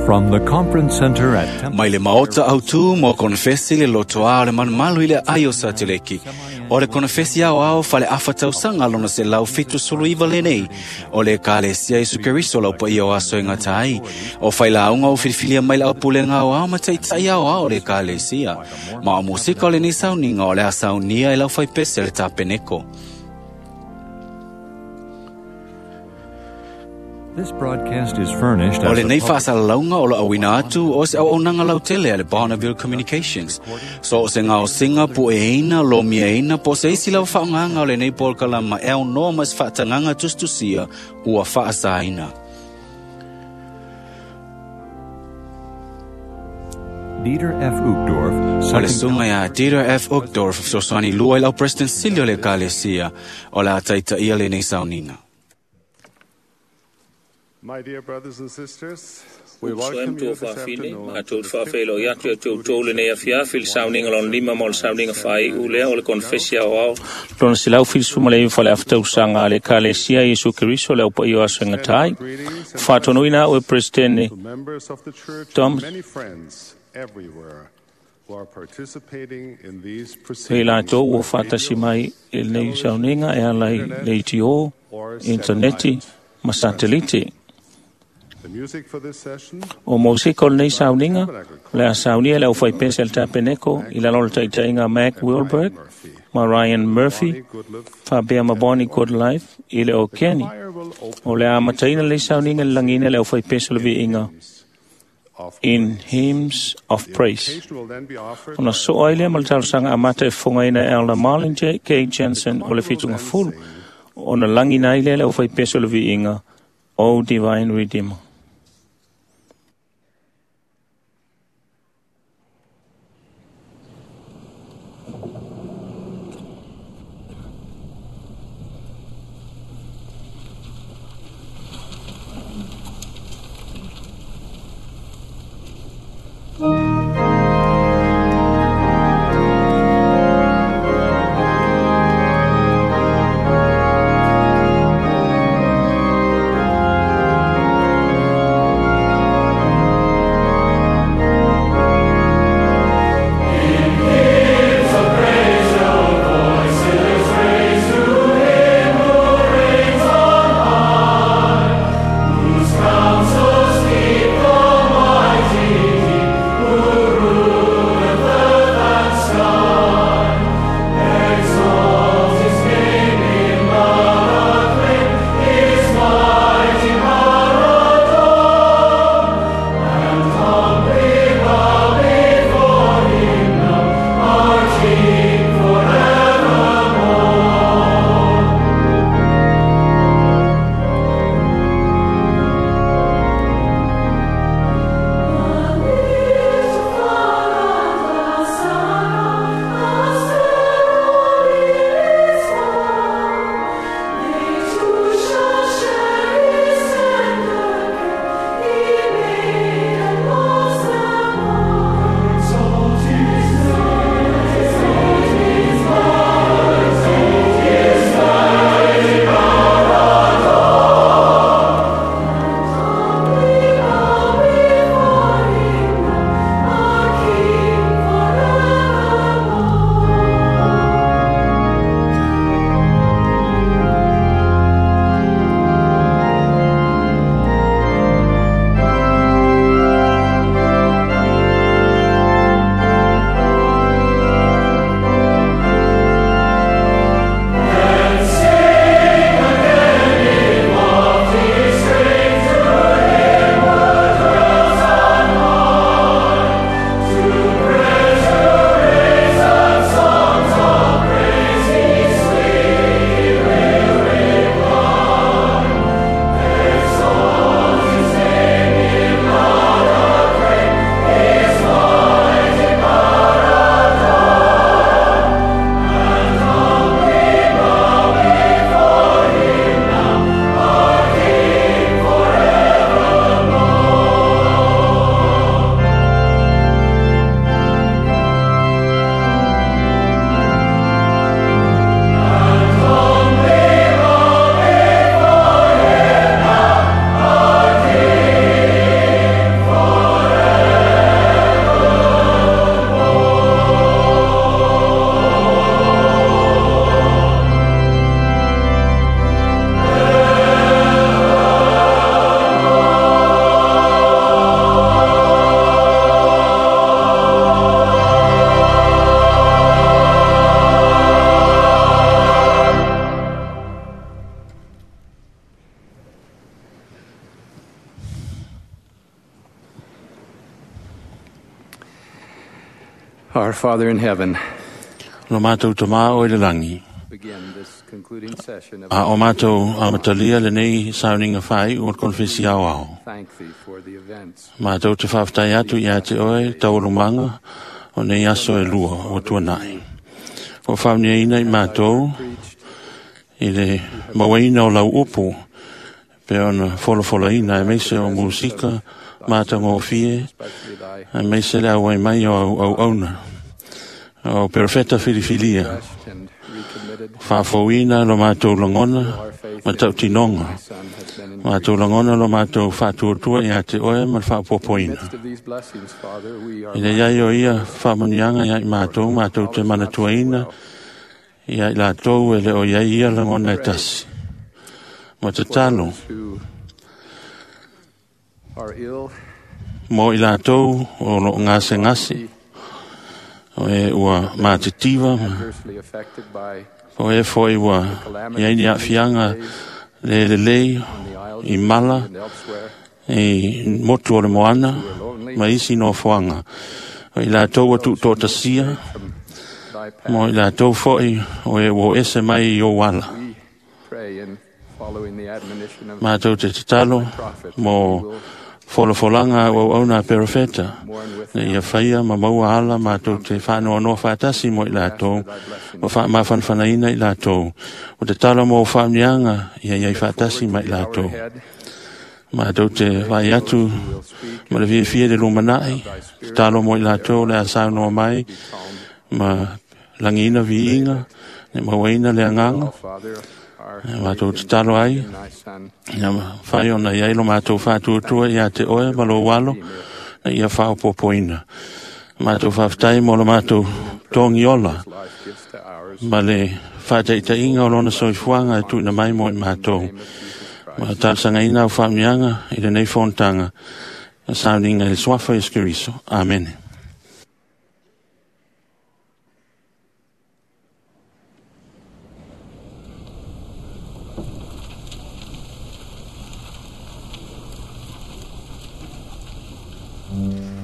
From the Conference Center at Temple Mai le maota autu mo konefesi le lotoa o le malumalu i le ai o Sateleki. O le konefesi ao ao fale afa tausaga lona 179 lenei. O le Ekalesia Iesu Keriso lau paia o aso e gata ai. O failauga o filifilia mai le aupulega aoao ma taitai aoao o le Ekalesia. Ma o musika o lenei sauniga o le a saunia e lau faipese le tapeneko. This broadcast is furnished O as a lenei public faasalalauga o lo auina atu o se auaunaga lautele a le Bonneville Communications. So o se gaosiga pueina, lomiaina, po o se isi lava faaaogaga o lenei polokalama e aunoa ma se faatagaga tusitusia ua faasaina. Dieter F. Uchtdorf, O le second suga ia Dieter F. Uchtdorf fesoasoani lua i lau President sili o le Ekalesia o le a taitaia lenei sauniga. My dear brothers and sisters, we Uso welcome em you tou this faafine, afternoon a to tou the faafeilo atu e tou fifth tou lenei afiafi le sauniga lona lima ma o le sauniga faaiu lea o le konefesi aoao lona 179 fale afatausaga a le Ekalesia Iesu Keriso le au paia o aso e gata ai. Greetings and Faatonuina au e Presidente to members of the church Tom and many friends everywhere who are participating in these e proceedings latou ua by faatasi radio mai i lenei sauniga e ala i leitio, or intaneti satellite. ma satelite. The music for this session O mosika o lenei sauniga, le a saunia le aufaipese a le tapeneko i lalo o le taitaiga Mac Wilberg Murphy, ma Ryan Murphy, Bonnie Goodliff, faapea ma Bonnie Goodlife i le o Kenny. choir will open O le a amataina lenei sauniga i le lagiina le aufaipese o le viiga of in Hymns of The Praise. invocation will then be offered Ona by soa ai lea ma le talosaga amata e fofogaina e Elder Marlin J. K. Jensen o le Fituga Fulu. Ona lagina ai lea le aufaipese o le viiga O Divine Redeemer. Thank Father in heaven, Lo mātou tamā o i le langi. begin this concluding session of A o mātou amatalia lenei sauninga whai o le konfesi au ao. thank thee for the events Mātou te whawhtai atu i a te oe taurumanga o nei aso e lua o tuanai. O whaunia ina i mātou preached i le mawaina o lau upu pe ona folofola ina e meise o musika mātangofie especially thy e meise le auai mai o au au auna. O perfeta filifilia refreshed and recommitted whaafauina lo mātou langona our faith ma tautinonga. thy Son has been increased. Mātou langona lo mātou whaatuatua i a te oe ma le In the whaapopoina. midst of these blessings, Father, we are I le iai o ia whaamanianga ia i mātou, mātou te manatuaina, ia i lātou e le o iai ia langona e tasi. Ma te for talo, those who are ill, mo i lātou o lo ngase ngase, o e ua mātitiva, adversely affected by o e foi ua iai ni afianga le le lei on the isles i mala, and elsewhere i motu o le moana, who are lonely ma isi no fuanga. O i lātou ua tuutoatasia, from thy path. mo i lātou foi o e ua ese mai i o wala. We pray in following the admonition of Mātou te tatalo prophet mo we will folafolaga au auauna a perofeta. mourn with Ne ia whaia ma maua ala mātou te whanoa noa whaatasi mo i lātou, thy blessing. ma wha mawhanwhanaina i lātou. O te talo mo whaamnianga ia iai whaatasi ma i Our lātou. head, Mātou te vai atu who will speak ma le fiafia le lumanai, te talo mo i lātou le asau noa mai, be calmed. ma langiina viiga, ne mauaina le anganga, All Father, our mātou faith te talo ai, in thy Son, Ia whai ona iai lo mātou whātuatua i a te oe ma lo walo, na ia whaopopoina. Mātou whawhtai mo lo mātou tongi ola, life gives to ours. ma le whātaitainga o lona soifuanga e tuina mai mo i mātou. Name of Jesus Christ. Ma tāsangaina au whaamnianga i le nei whontanga, na sauninga i le swafa i Keriso. Amen. Thank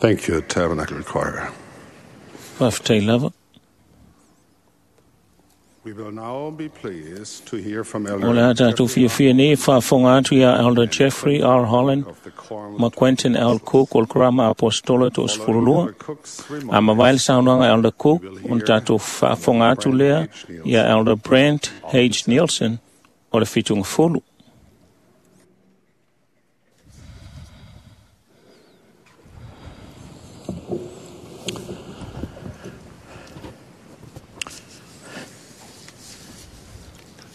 Thank you, Tabernacle Choir. Faafetai lava. We will now be pleased to hear from O le a Elder tatou fiafia nei e faafofoga atu iā Elder Jeffrey R. Holland of the Quorum ma Quentin L. Cook o le Karama Apostola 32. Elder Cook's A remarks. mavae le saunoaga Elder Cook, ona tatou faafofoga atu lea ia Elder Brent H. Nielsen o le Fitugafulu.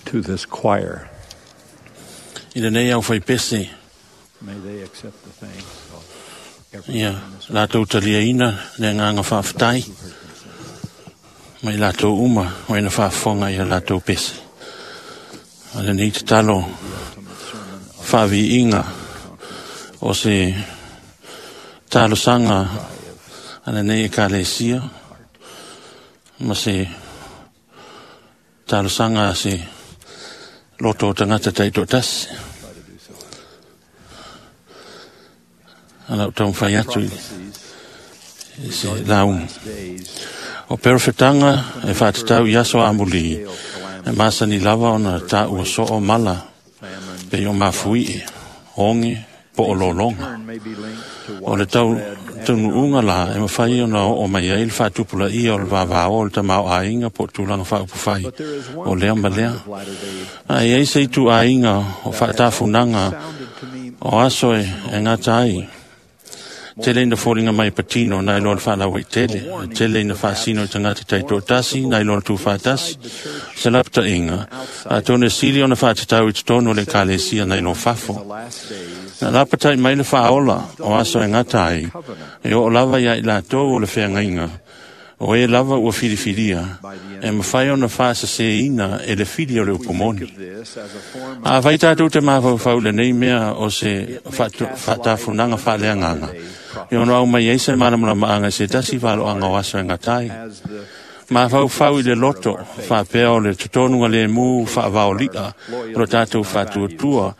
To this choir, I lenei au faipese, may they accept the thanks of everyone ia in this latou taliaina le agaga faafetai mai latou uma o ina faafofoga ia latou pese. A lenei tatalo faaviiga o se talosaga a lenei ekalesia ma se talosaga a se loto o tagata taitoatasi. Ala o taumafai atu i prophecies i se lauga. days O perofetaga e faatatau i aso amulī, e masani lava ona taua soo mala famine pe o mafuie, oge, po o lologa. turn may be linked to O le tau taunuuga la e mafai ona oo mai ai le faatupulaia o le vavao o le tamaoaiga po o tulaga faaupufai But there is o one lea ma lea. kind of latter-day Ae ai se ituaiga o faatafunaga sounded to me o aso e gata ai. Tele ina foliga mai patino nai loa le faalaua-i-tele, e tele ina faasino i tagata taitoatasi nai loa le tufatasi, se lapataiga, atonu e sili ona faatatau i totonu o le ekalesia nai lo in the fafo. last days Na lapatai mai le faaola o aso e gata ai, e oo lava ia i latou o le feagaiga, o e lava ua filifilia, e mafai ona faasaseina e le fili o le we think upumoni. of this as a form A vai tātou te mafaufau lenei mea o se faatafunaga faaleagaga. E ono au mai ai se malamalamaanga i se tasi valoaga o aso e gatai. as the Mafaufau i le loto, faapea o le totonuga le mu faavaoli'a o lo tātou faatuatua,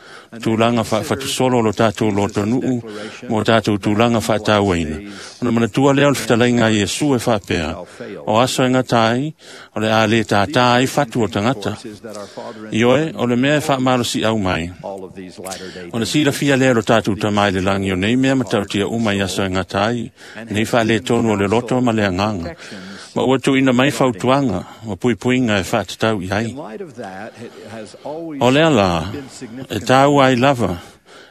tulaga faafatusolo o lo tātou lotonuu, mo tātou tulaga faatauaina. Ona manatua lea o le fetalaiga a Iesu e faapea, o aso e gata ai, o le a le tātā ai fatu o tagata. is that our Father in Ioe, o le mea e faamalosi au mai. all of these latter-day O le silafia lea o lo tātou tamai le langi o nei mea matautia uma i aso e gata ai, nei faaletonu o le loto ma le agaga. Ma ua tuuina mai fautuaga ma puipuiga e faatatau i ai. In light of that, it has always O lea la, been e significant tāua ai lava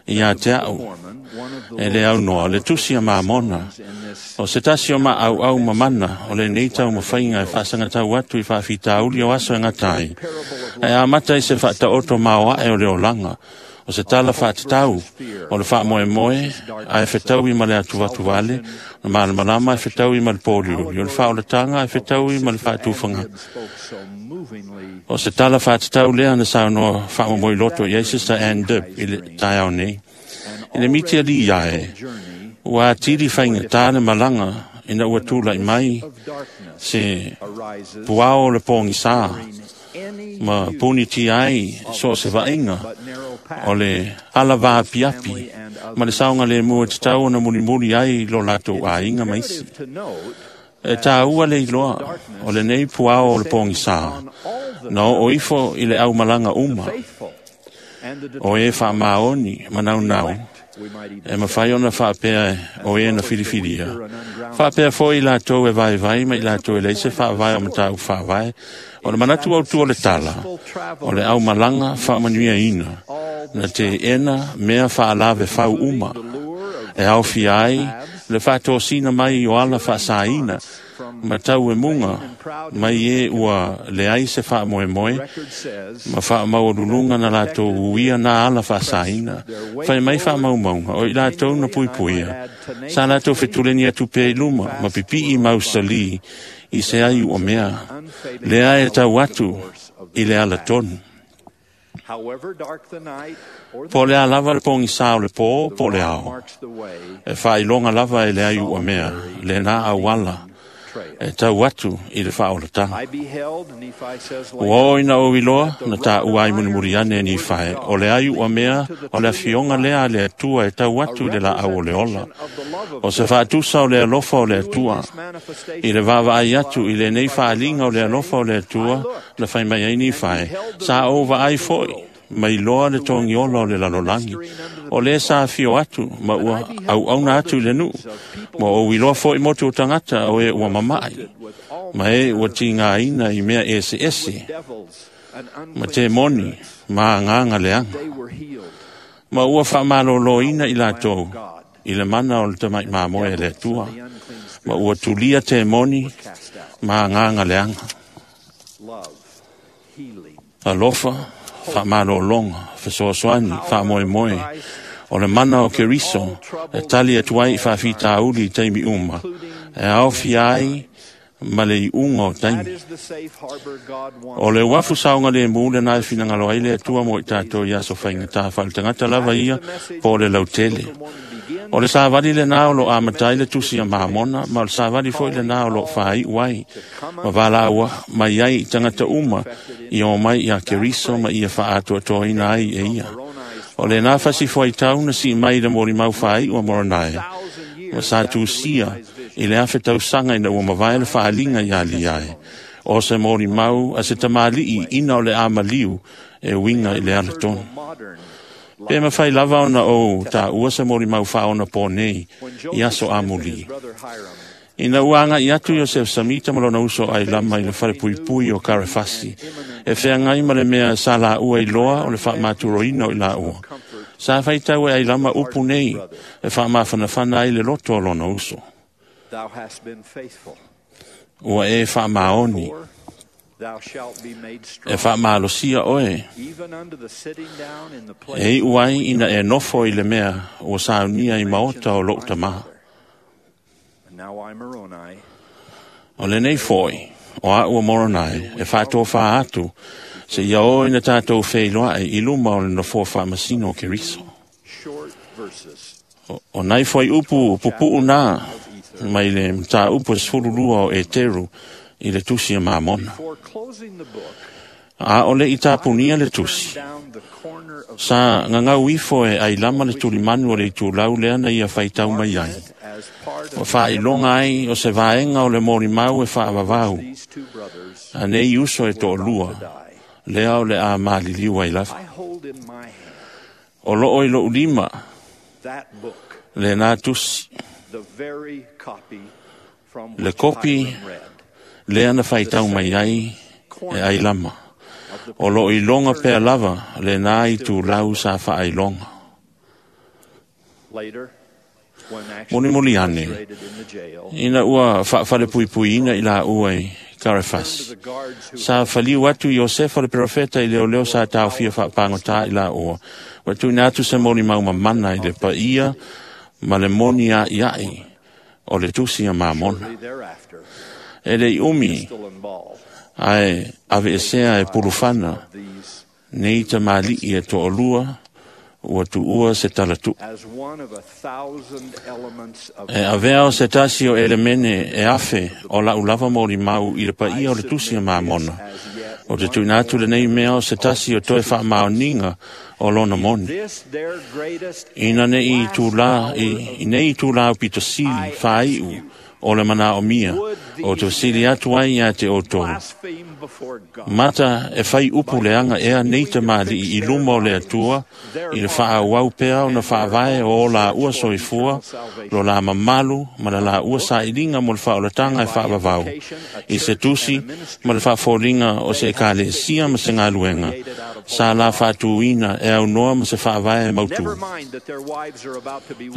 ia te au, Mormon, one of the e le au noa, le tusi a mamona, in this o se tasi o maauau mamana, o lenei taumafaiga e faasagatau atu i faafitauli o aso e gata ai. Ae amata i se faataoto maoae o le olaga, o se tala faatatau o le faamoemoe ae fetaui ma le atuvatuvale, o le malamalama e fetaui ma le pōliuli, o le faaolataga e fetaui ma le faatufaga. spoke so movingly O se tala faatatau lea na saunoa faamomoiloto i ai Sister Ann Dibb i le taeao nei. I le miti alii ae, journey ua atili faigata le malaga ina ua tula'i mai of darkness se arises puao o le pogisā any ma puniti ai so o se vaaiga but narrow path o le ala vaapiapi ma le saogalemu e tatau ona mulimuli ai lo latou aiga ma isi. to note E tāua le iloa o lenei puao o le pogisā na oo ifo i le aumalaga uma faithful and the o e faamaoni ma naunau we might even e mafai ona faapea o e na filifilia. Faapea foi i latou e vaivai ma i latou e leai se faavae o mataupu faavae, o le manatu autu o le tala, o le aumalaga faamanuiaina, na teena mea faalave fau uma, e aofia ai le faatosina mai o ala faasaina, ma tau e muga mai e ua leai se faamoemoe, record says ma faamaualuluga na latou uia na ala faasaina, fai mai faamaumauga o i latou na puipuia, sa latou fetuleni atu pea i luma, ma pipii mausalī i se ai ua mea, lea e tau atu i le ala tonu. however dark the night or the Po o le a lava le pogisā o le pō, po o le ao. marks the way E faailoga lava e le ai ua mea, le na auala, e tau atu i le faaolataga. Ua oo ina ou iloa na taua ai mulimuli ane e Nifae, o le ai ua mea o le afioga lea a le Atua e tau atu i le laau o le ola. O se faatusa o le alofa o le Atua, i le vaavaai atu i lenei faaliga o le alofa o le Atua na fai mai ai Nifae, sa ou vaai foi mai loa le togiola o le lalolagi, o lē sa afio atu ma ua auauna atu i le nuu, ma ou iloa foi motu o tagata o e ua mama'i, ma e ua tigaina i mea eseese, ma temoni ma agaga leaga, ma ua faamalōlōina i latou i le mana o le tama'i mamoe a le Atua, ma ua tulia temoni ma agaga leaga. Alofa, faamalōlōga, fesoasoani, faamoemoe, o le mana o Keriso e tali atu ai i faafitauli i taimi uma, e aofia ai ma le iuga o taimi. O le uafu saogalēmū lenā e finagalo ai le Atua mo i tatou i aso faigata faaletagata lava ia po o le lautele. O le savali lenā o loo amata ai le tusi a Mamona, ma o le savali foi lenā o loo faaiu ai, ma valaua mai ai i tagata uma i o mai iā Keriso ma ia faaatoatoaina ai e ia. O lenā fasi fuaitau na sii mai i le molimau faaiu a Moronae, ma sa tusia i le afe tausaga ina ua mavae le faaliga iā Liae, o se molimau a se tamalii ina o le amaliu e uiga i le alatonu. Pe mafai lava ona ou taua se molimau faaonapō nei i aso amulī. Ina ua agaʻi atu Iosefa Samita ma lona uso Ailama i le falepuipui o Karefasi, e feagai ma le mea sa laua iloa o le faamaturoina o i laua. Sa faitau e Ailama upu nei e faamafanafana ai le loto o lona uso. Ua e faamaoni, e faamalosia oe, e iu ai ina e nofo i le mea ua saunia i maota o lou tamā. O lenei foi, o a'u o Moronae, e faatofā atu, seia oo ina tatou feiloa'i i luma o le nofoa faamasino o Keriso. O nai fuaiupu pupu'u nā mai le mataupu e 12 o Eteru i le tusi a Mamona. A o le i tapunia le tusi, sa gagau ifo e Ailama le tulimanu o le itulau lea na ia faitau mai ai. Ua faailoga ai o se vaega o le molimau e faavavau, a nei uso e toalua, lea o le a maliliu ai lava. O loo i lou lima lenā tusi, le kopi lea na faitau mai ai e Ailama. O loo iloga pea lava lenā itulau sa faailoga. Mulimuli ane, ina ua faafalepuipuiina i laua i Karefasi, sa faliu atu Iosefa le perofeta i leoleo sa taofia faapagotā i laua, ua tuuina atu se molimau mamana i le paia ma le moni a'ia'i o le tusi a Mamona. E le i umi, ae aveesea e pulufana nei tamalii e toalua ua tuua se talatu'u. E avea o se tasi o elemene e afe o la'u lava molimau i le paia o le tusi a Mamona, o te tuuina atu lenei mea o se tasi o toe faamaoniga o lona moni. Ina nei itulā, i nei itulā aupito sili faai'u o le manaomia, o te fesili atu ai iā te outou. Mata e fai upu leaga ea nei tamalii i luma o le Atua, i le faaauau pea ona faavae o o laua soifua, lo la mamalu ma le laua sailiga mo le faaolataga e faavavau, i se tusi ma le faafoliga o se ekalesia ma se galuega, sa la faatūina e aunoa ma se faavae mautū.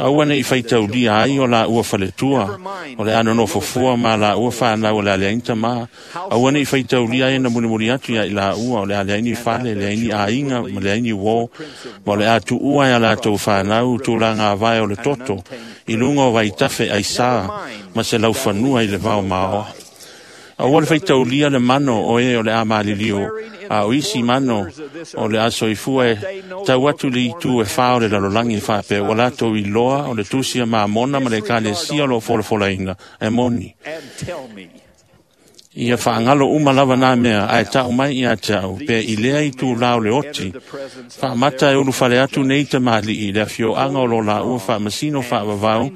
Aua neʻi faitaulia ai o laua faletua, o le a nonofofua ma laua fanau o le a leai ni tamā. Aua neʻi faitaulia ai na mulimuli atu iā i laua o le a leai ni fale, leai ni aiga ma leai ni uō, ma o le a tuua e a latou fanau tulaga avae o le toto i luga o vaitafe aisā ma se laufanua i le vao maoa. Aua le faitaulia le mano o e o le a maliliu, a o isi mano o le a soifua e tau atu le itu e wha o le lalolagi e whapea, ua latou iloa o le tusi a Mamona ma le ekalesia o lo o folafolaina e moni. Ia whaangalo uma lava nā mea, ae tau mai ia te au, pe i lea i tū lao le oti, whaamata e ulu whale atu nei te mali i le afioanga o lo la ua whaamasino whaavavau,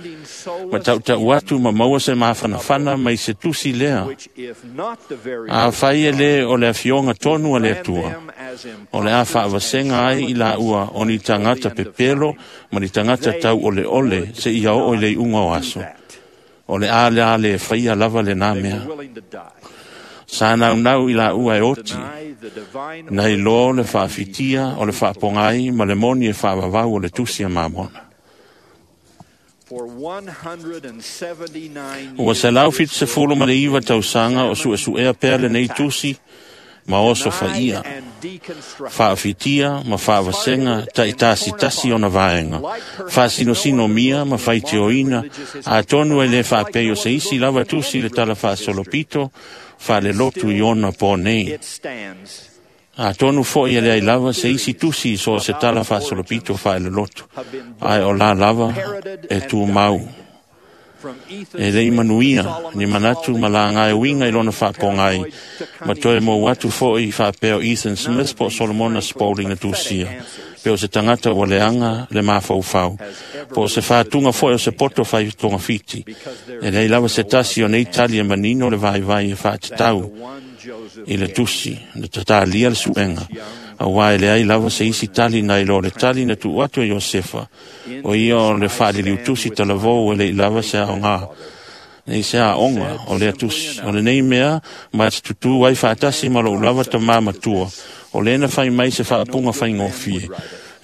ma tautau atu ma maua se mafanafana mai se tusi lea. A whai e le o le afioanga tonu a le atua, o le a whaavasenga ai i la ua o ni tangata pepelo ma ni tangata tau ole ole se ia o i le unga o aso. O le a le a le whaia lava le nā mea. Sa nau nau i la ua e oti, nei loa le whaafitia o le whaapongai ma le moni e whaavavau o le tusi a Mamona. Ua 179 tausaga o suesuea pea lenei tusi ma oso faia, whaafitia ma whaavasenga taitasitasi ona vaenga, whaasinosino mia ma whaitioina, a tonu e le whaapei o se isi lava tusi le tala whaasolopito, wha le lotu i ona pō nei. A tonu foi e le ai lava se isi tusi so se tala whaasolopito wha le lotu, ai o la lava e tū mau. E lei manuia, ni manatu ma la ngai winga i lona whaapongai, ma toe mō watu foi whaapeo Ethan Smith po Solomona Spalding na tusia, pe o se tangata o leanga le mawhaufau, po o se whātunga foi o se poto whai tonga whiti, e lei lava se tasi o nei tali e manino le vai vai e whaatatau i le tusi, le tatalia le suenga, a wai le ai lava se isi tali nai lo le tali na tu atu e Iosefa, o ia o le whaalili utusi talavou e le i lava se ao ngā, nei se a onga o le atusi, o le nei mea ma te tutu ai whaatasi ma lo lava ta mā matua, o le na whai mai se whaapunga whai ngōfie.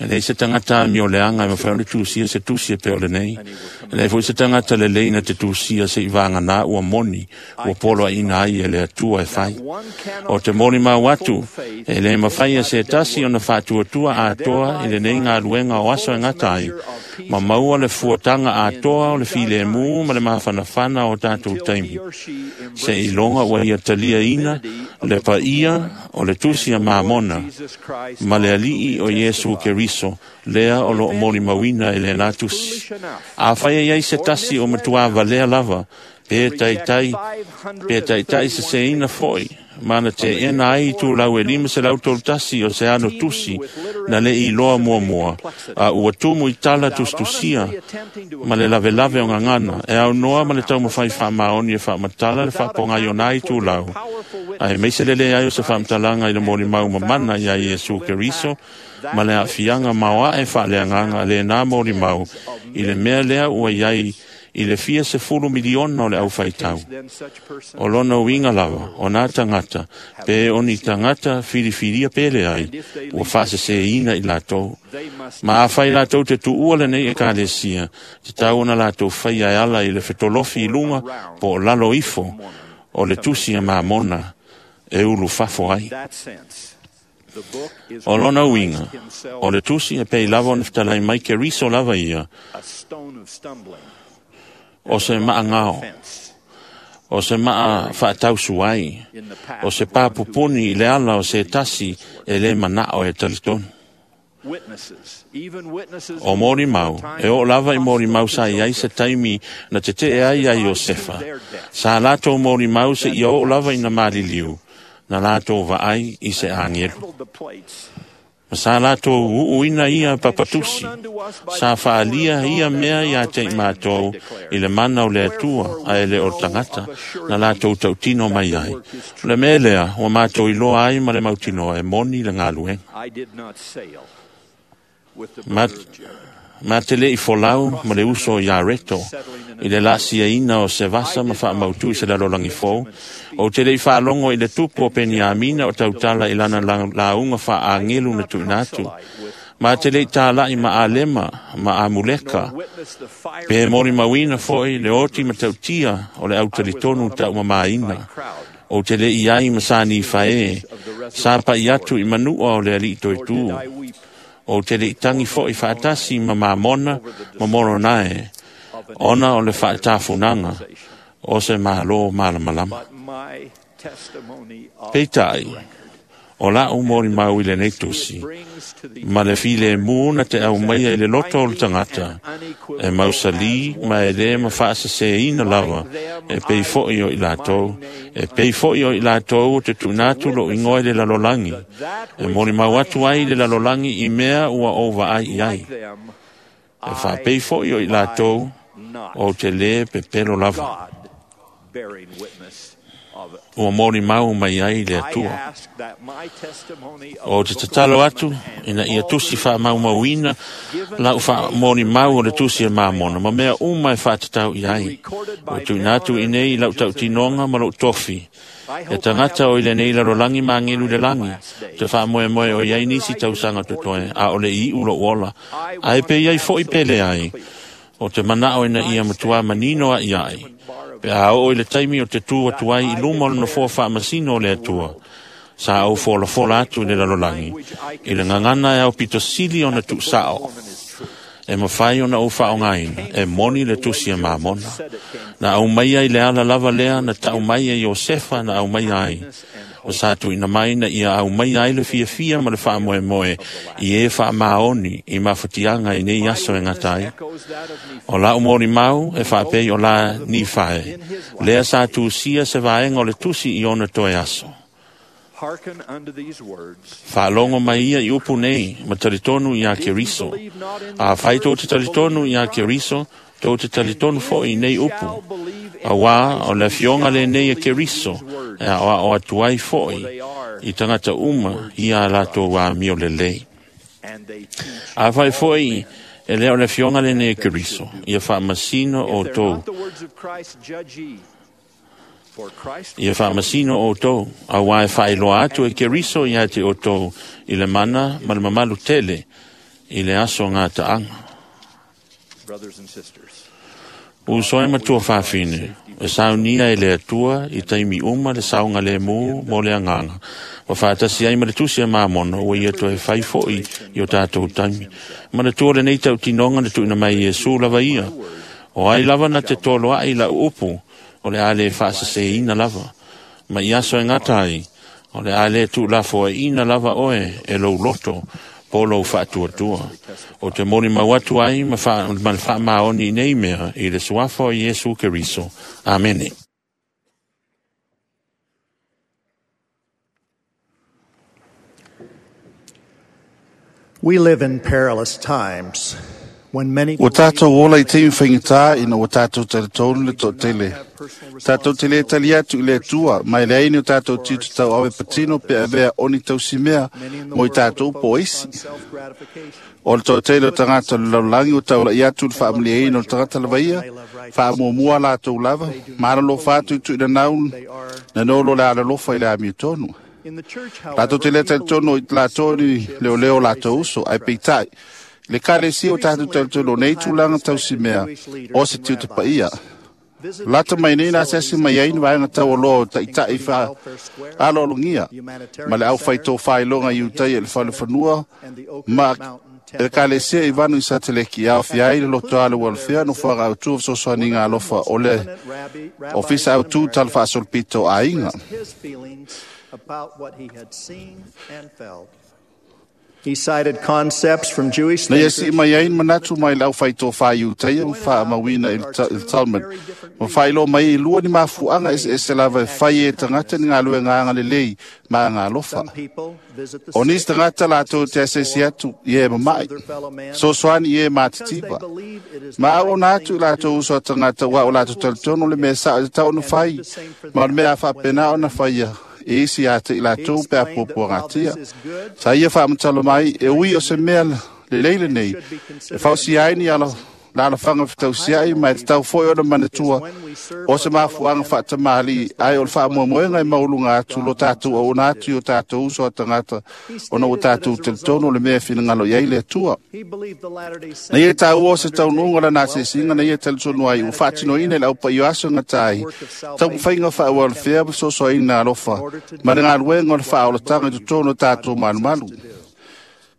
E lei se tangata mi o le anga e mawhai o le tusia se tusia pe o le nei. E lei foi se tangata le leina te tusia se i vānga nā ua moni, ua polo a ina ai e le atua e whai. O te moni mau atu, e le mawhai a se tasi o na whātuatua atoa i le nei ngā luenga o aso e ngata ai. Ma maua le fuatanga atoa o le file mū ma le mafanafana o tātou taimi. Se i longa ua ia talia ina, le paia o le tusi a Mamona, ma le alii o Iesu Keriso, lea o lo moli mawina e le nā tusi. A whai ai se tasi o matua valea lava, pe taitai, pe taitai se seina foi, mana te ena ai tū lau e lima se lau tolu tasi o se ano tusi, na le i loa mua mua, a ua tumu i tala tustusia, ma le lave lave o ngangana, e au noa ma le tau mawhai wha maoni e wha matala le whaponga i ona i tū lau. Ai meise lele ai o se whamtalanga i le mori mau mamana i a Iesu Keriso, ma le afianga maoa e wha le anganga le nā mori mau, i le mea lea ua iai i le fia se fulu miliona o le au whaitau. O lona uinga lava, o nā tangata, pe o ni tangata whiriwhiria pele ai, ua whaasese ina i lātou. Ma a whai lātou te tuua le nei e kālesia, te tau ona lātou whai ai ala i le whetolofi i lunga, po o lalo ifo, o le tusi a Mamona, e ulu fafo ai. O lona uinga, o le tusi e pei lava o ne whatalai mai ke riso lava ia, o se maa ngao, o se maa whaatausu ai, o se pāpupuni i le ala o se tasi e le manao e talitonu. O mori mau, e o lava i mori mau sa i ai se taimi na te te e ai ai Iosefa. Sa lātou mori mau se i o lava i na maliliu, na lātou vaai i se angelu. Ma sa lātou uuina ia papatusi, sa whaalia ia mea ia te i mātou i le mana o le atua a ele o tangata, na lātou tautino mai ai. Le mea lea, ua mātou i loa ai ma le mautinoa e moni le ngāluenga. Ma te le i folau ma le uso i areto, i le lasia ina o se vasa ma whaamautu i se lalolangi fou, o te le i whaalongo i le tupu o Peniamina o tautala i lana launga whaangelu na tuinatu. Ma te le i tālai ma alema, ma amuleka, pe mori mawina foi le oti ma tautia o le autalitonu tau mamaina. O te le i ai masani whae, sa pa i atu i manua o le ali toi tū. O te le itangi foi whaatasi ma mamona ma moronae, ona o le whaatafunanga, o se malo malamalama. Peitai, o la'u molimau i lenei tusi, ma le filemu na te aumaia i le loto o le tagata, e mausalī ma e lē mafaasesēina lava, e pei fo'i o i latou, e pei fo'i o i latou o te tuuina atu lo'u igoa i le lalolagi, e molimau atu ai i le lalolagi i mea ua ou vaai i ai. E faapei fo'i o i latou, ou te lē pepelo lava. Ua molimau mai ai le Atua. O te tatalo atu ina ia tusi faamaumauina la'u faamolimau o le tusi e Mamona ma mea uma e faatatau i ai. Ua tuuina atu i nei i la'u tautinoga ma lo'u tofi. E tagata o i lenei lalolagi ma agelu i le lagi, te faamoemoe o i ai nisi tausaga totoe, a o le iu lo'u ola, ae pe i ai fo'i pe leai, o te mana'o ina ia matuā manino a'i ai, pe a oo i le taimi o te tū atu ai i luma o le nofoa faamasino o le Atua, sa ou folafola atu i le lalolagi, i le gagana e aupito sili ona tuusa'o, e mafai ona ou faaaogaina, e moni le tusi e Mamona. Na aumaia i le ala lava lea na ta'u mai e Iosefa na aumaia ai, o sa tuuina mai na ia aumaia ai le fiafia ma le faamoemoe i e faamaoni i mafatiaga i nei aso e gata ai. O la'u molimau e faapei o la Nifae, lea sa tusia se vaega o le tusi i ona toe aso. Faalogo mai ia i upu nei, ma talitonu iā Keriso. Afai tou te talitonu iā Keriso, tou te talitonu fo'i i nei upu. Auā o le afioga lenei e Keriso, e aoao atu ai fo'i i tagata uma ia a latou amio lelei. Afai fo'i e lē o le afioga lenei e Keriso, ia faamasino outou. Ia faamasino outou, auā e faailoa atu e Keriso iā te outou i le mana ma le mamalu tele i le aso gataaga. Uso e matua faafine, e saunia e le Atua i taimi uma le saogalēmū mo le agaga, ua faatasi ai ma le tusi e Mamona ua ia toe fai fo'i i o tatou taimi. Manatua lenei tautinoga na tuuina mai e Iesu lava ia, o ai lava na te toloa'i la'u upu, o le a lē faasesēina lava. Ma i aso e gata ai, o le a lē tuulafoaiina lava oe e lou loto po lou faatuatua. O te molimau atu ai ma le faamaoni i nei mea i le suafa o Iesu Keriso. Amene. We live in perilous times when many Ua tātou ola i taimi faigata ina ua tātou talitonu le toatele. Tātou te lē tali atu i le Atua, mai leai ni o tātou tiute tauave patino pe avea oni tausimea mo i tātou po isi. O le toatele o tagata o le lalolagi ua taula'i atu i le faamalieina o le tagata lava ia, faamuamua latou lava, ma alalofa atu i tuuinanau na nolo le alalofa i le amiotonu. Latou te lē talitonu i latou ni leoleo o latou uso, ae peitai, le ekalesia o tatou talitonu o nei tulaga tausimea o se tiute paia. Lata mai nei na asiasi mai ai ni vaega taualoa o ta'ita'i aloalogia ma le aufaitofailoga i utai e le falefanua ma e le ekalesia i vanu i Sateleki e aofia ai le lotoa le ualofea nofoaga autū o fesoasoaniga alofa o le Ofisa Autū Talafaasolopito o Aiga. About what he had seen and felt. He cited concepts from Jewish Na ia thinkers si'i mai ai ni manatu mai le aufaitofā i utaia ma faamauina i le Talmud. Ma faailoa mai ai i lua ni mafu'aga eseese lava e fai e tagata ni galuega agalelei ma agalofa. Some people visit the O sick nisi tagata latou te asiasi atu i e mama'i, their fellow man sosoani i e because they matitiva. believe it is the Ma right auauna thing atu i to latou do. uso a tagata ua o latou talitonu le mea sa'o e tatau ona fai, ma o le mea a faapena ona faia e isi ia te i latou pe a He explained that while puapuagatia. this is good, Sa ia faamatala mai e ui o se mea lelei lenei, e fausia ai ni ala la alafaga fetausia'i ma e tatau fo'i ona manatua o se mafu'aga faatamāli'i ae o le faamoemoega e maualuga atu lo tatou auauna atu i o tatou uso a tagata ona ua tatou talitonu o le mea e finagalo i ai le Atua. he believed the Latter-day Na ia Saints taua o se undertake taunuuga lana welfare asiasiga na ia talitonu ai ua faatinoina i le aupaio aso gata ai taumafaiga faaualofea ma fesoasoaina alofa ma le galuega o le faaolataga i totonu o tatou malumalu.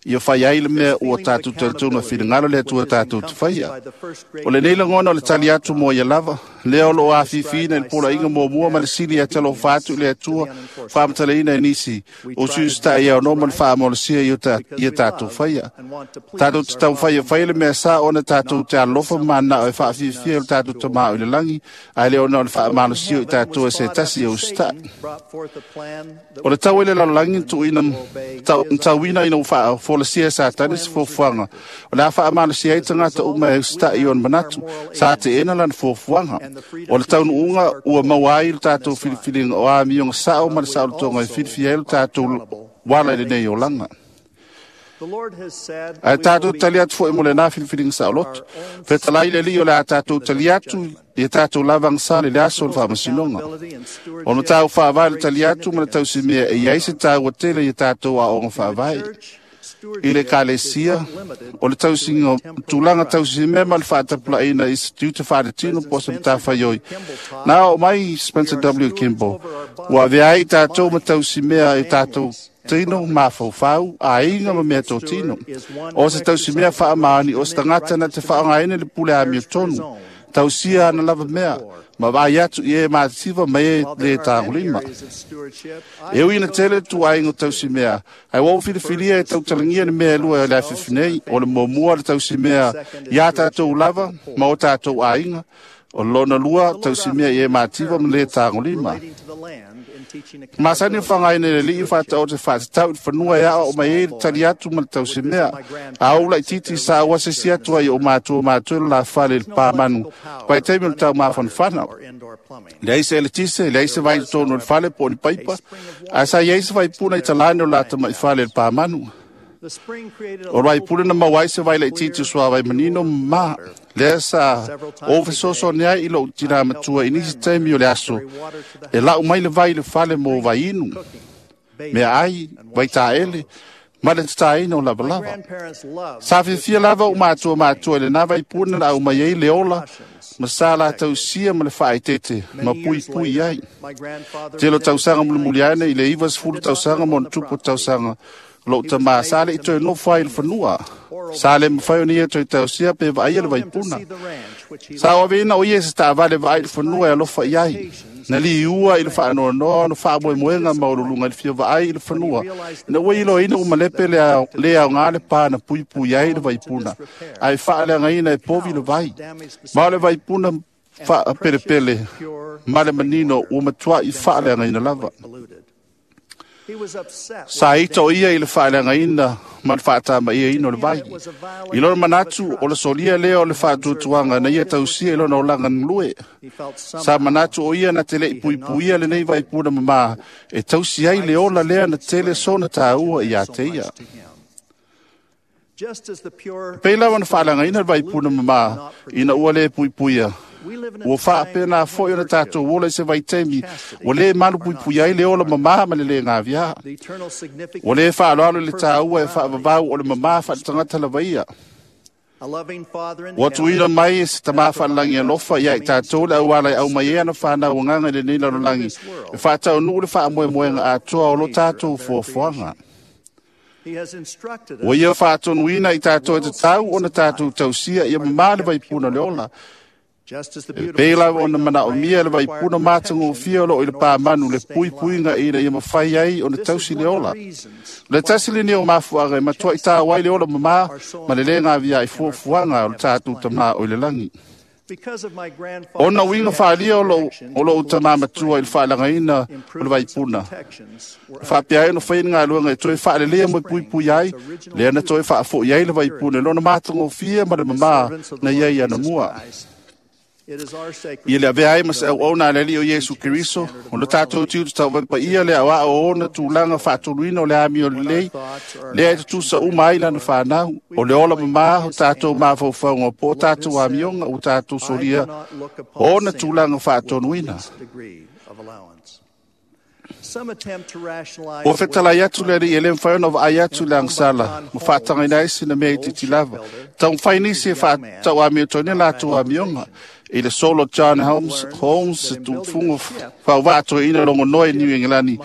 Ia fai ai le mea ua tātou talitonu e finagalo le Atua tātou te faia. O lenei lagona o le tali atu mo ia lava, lea o loo afifiina i le polainga muamua ma le sili e talofa atu i le Atua faamatalaina e nisi o sui usutai ia ono ma le faamalosia ia tātou faia. Tātou te taumafai e fai le mea sa ona tātou te alofa ma manao e faafiafia i le tātou Tama o i le lagi, ae le ona o le faamalosia i tātou e se tasi e usitai. O le tau i le lalolagi tauina ina ua folasia e Satani se fuafuaga o le a faamalosia ai tagata uma e usitai i ona manatu, sa teena lana fuafuaga. O le taunuuga ua maua ai le tātou filifiliga o amioga sao ma le saolotoga e filifia ai le tātou wala i lenei olaga. Ae tātou tali atu foi mo lenā filifiliga saoloto. Fetalai le Alii o le a tātou tali atu ia tātou lavagasa le aso o le faamasinoga. O le matau faavae le tali atu ma le tausimea e iai se taua tele ia tātou aoga faavae. I le Ekalesia, o le tausiga tulaga tausimea ma le faatapulaaina i se tiute faaletino po o se matafaioi. Na oo mai Spencer W. Kimball, ua avea ai tātou ma tausimea i tātou tino mafaufau, aiga ma mea totino. O se tausimea faamaoni o se tagata na te faaaogaina le pule amiotonu, tausia ana lava mea, ma vaai atu i e matasiva ma e le tagolima. E ui ina tele tuaiga o tausimea, ae ua ou filifilia e tautalagia le mea e lua e le afiafi nei, o le muamua le tausimea iā tātou lava ma o tātou aiga, o lona lua tausimea i e mativa ma le tagolima. Masani o whangaina le Alii whātaote whātatau i whanua e ao o mai e le tali atu ma le tausimea. A o lai titi sa ua se si atu ai o mātua mātua la whale le pāmanu. Pai teimi o le tau māwhanawhana. Leai se eletise, leai se vai tonu le whale po o ni paipa. A sa iai se vaipuna i talane o lata mai whale le pāmanu. O rai pule na mauai se vai lai titi sua vai manino ma lea sa o fesoso ni ai i lou tina matua i nisi taimi o le aso e lau mai le vai le fale mo vai inu, mea ai, vai taele, ma le tataina o lavalava. Sa fiafia lava o mātua mātua i le nā vai puna na au mai ai le ola, ma sa la tausia ma le whaaitete, ma pui pui ai. Telo tausaga mulimuli ane i le 90 tausaga mo na tupu tausaga, lou tamā sa le i toe nofo ai le fanua. Sa le mawhai o ni e toe tausia pe vaai le vaipuna. Sa o aveina o ia se taavale vaai le fanua e alofa i ai. Na li ua i le whaanoanoa no whaamoemoenga maululunga i le fia vaai i le fanua. Na ua ilo ina umalepe le au ngā le pā na pui pui ai le vaipuna. Ai whaaleanga e povi le vai. Ma o le vaipuna whaapelepele ma le manino ua matua i whaaleanga ina lava. Sa ita o ia i le whaaleanga ma le whaatama ia ino le vai. I lona manatu o le solia lea o le whaatuatuanga na ia tausia i lona olanga nglue. Sa manatu o ia na te lei puipuia le nei vaipuna mama e tausi ai le ola lea na tele sona tāua i a te ia. Pei lawa na whaaleanga le vaipuna mama ina ua le puipuia. Ua whaapena foi o na tātou ola i se vaitemi, ua le malu puipui ai le ola mamā ma le le ngāvia. Ua le whaaloalo le tāua e whaavavau o le mamā whaatangata lava ia. Ua tuina mai e se tamā whalangi alofa ia i tātou le auala i au mai e ana whanau nganga i le nei lalolagi, e whaataunuu le whaamoemoenga atoa o lo tātou fuafuaga. Ua ia whaatonuina i tātou e te tau o na tātou tausia ia mamā le vaipuna le ola. E pei lava ona manaomia le vaipuna matagofia o loo i le pāmanu le puipuiga ina ia mafai ai ona tausi le ola. Le tasi lenei o mafuaga e matuai tāu ai le ola mamā ma le lē gavia i fuafuaga o le tatou Tamā o i le lagi. Ona uiga faaalia o lou tamā matua i le faalagaina o le vaipuna. Faapea ai ona faia ni galuega e toe faaleleia mo e puipui ai, lea na toe faafo'i ai le vaipuna i lona matagofia ma le mamā na iai anamua. Ia le avea ai ma se auauna a le Alii o Iesu Keriso, o le tātou tiute tauvaepaia le aoao o ona tulaga faatoluina o le amio lelei, lea e tutusa uma ai lana whanau, o le ola mamā o tātou mafaufauga po o tātou amioga o tātou solia o ona tulaga faatonuina. Ua fetalai atu le Alii e le mafai ona vaai atu le agasala, ma faatagaina ai sina mea i titi lava. Taumafai nisi e faatauamiotonu latou amioga, i le solo John Holmes, se tufuga whauvātoe ina longo noe New England,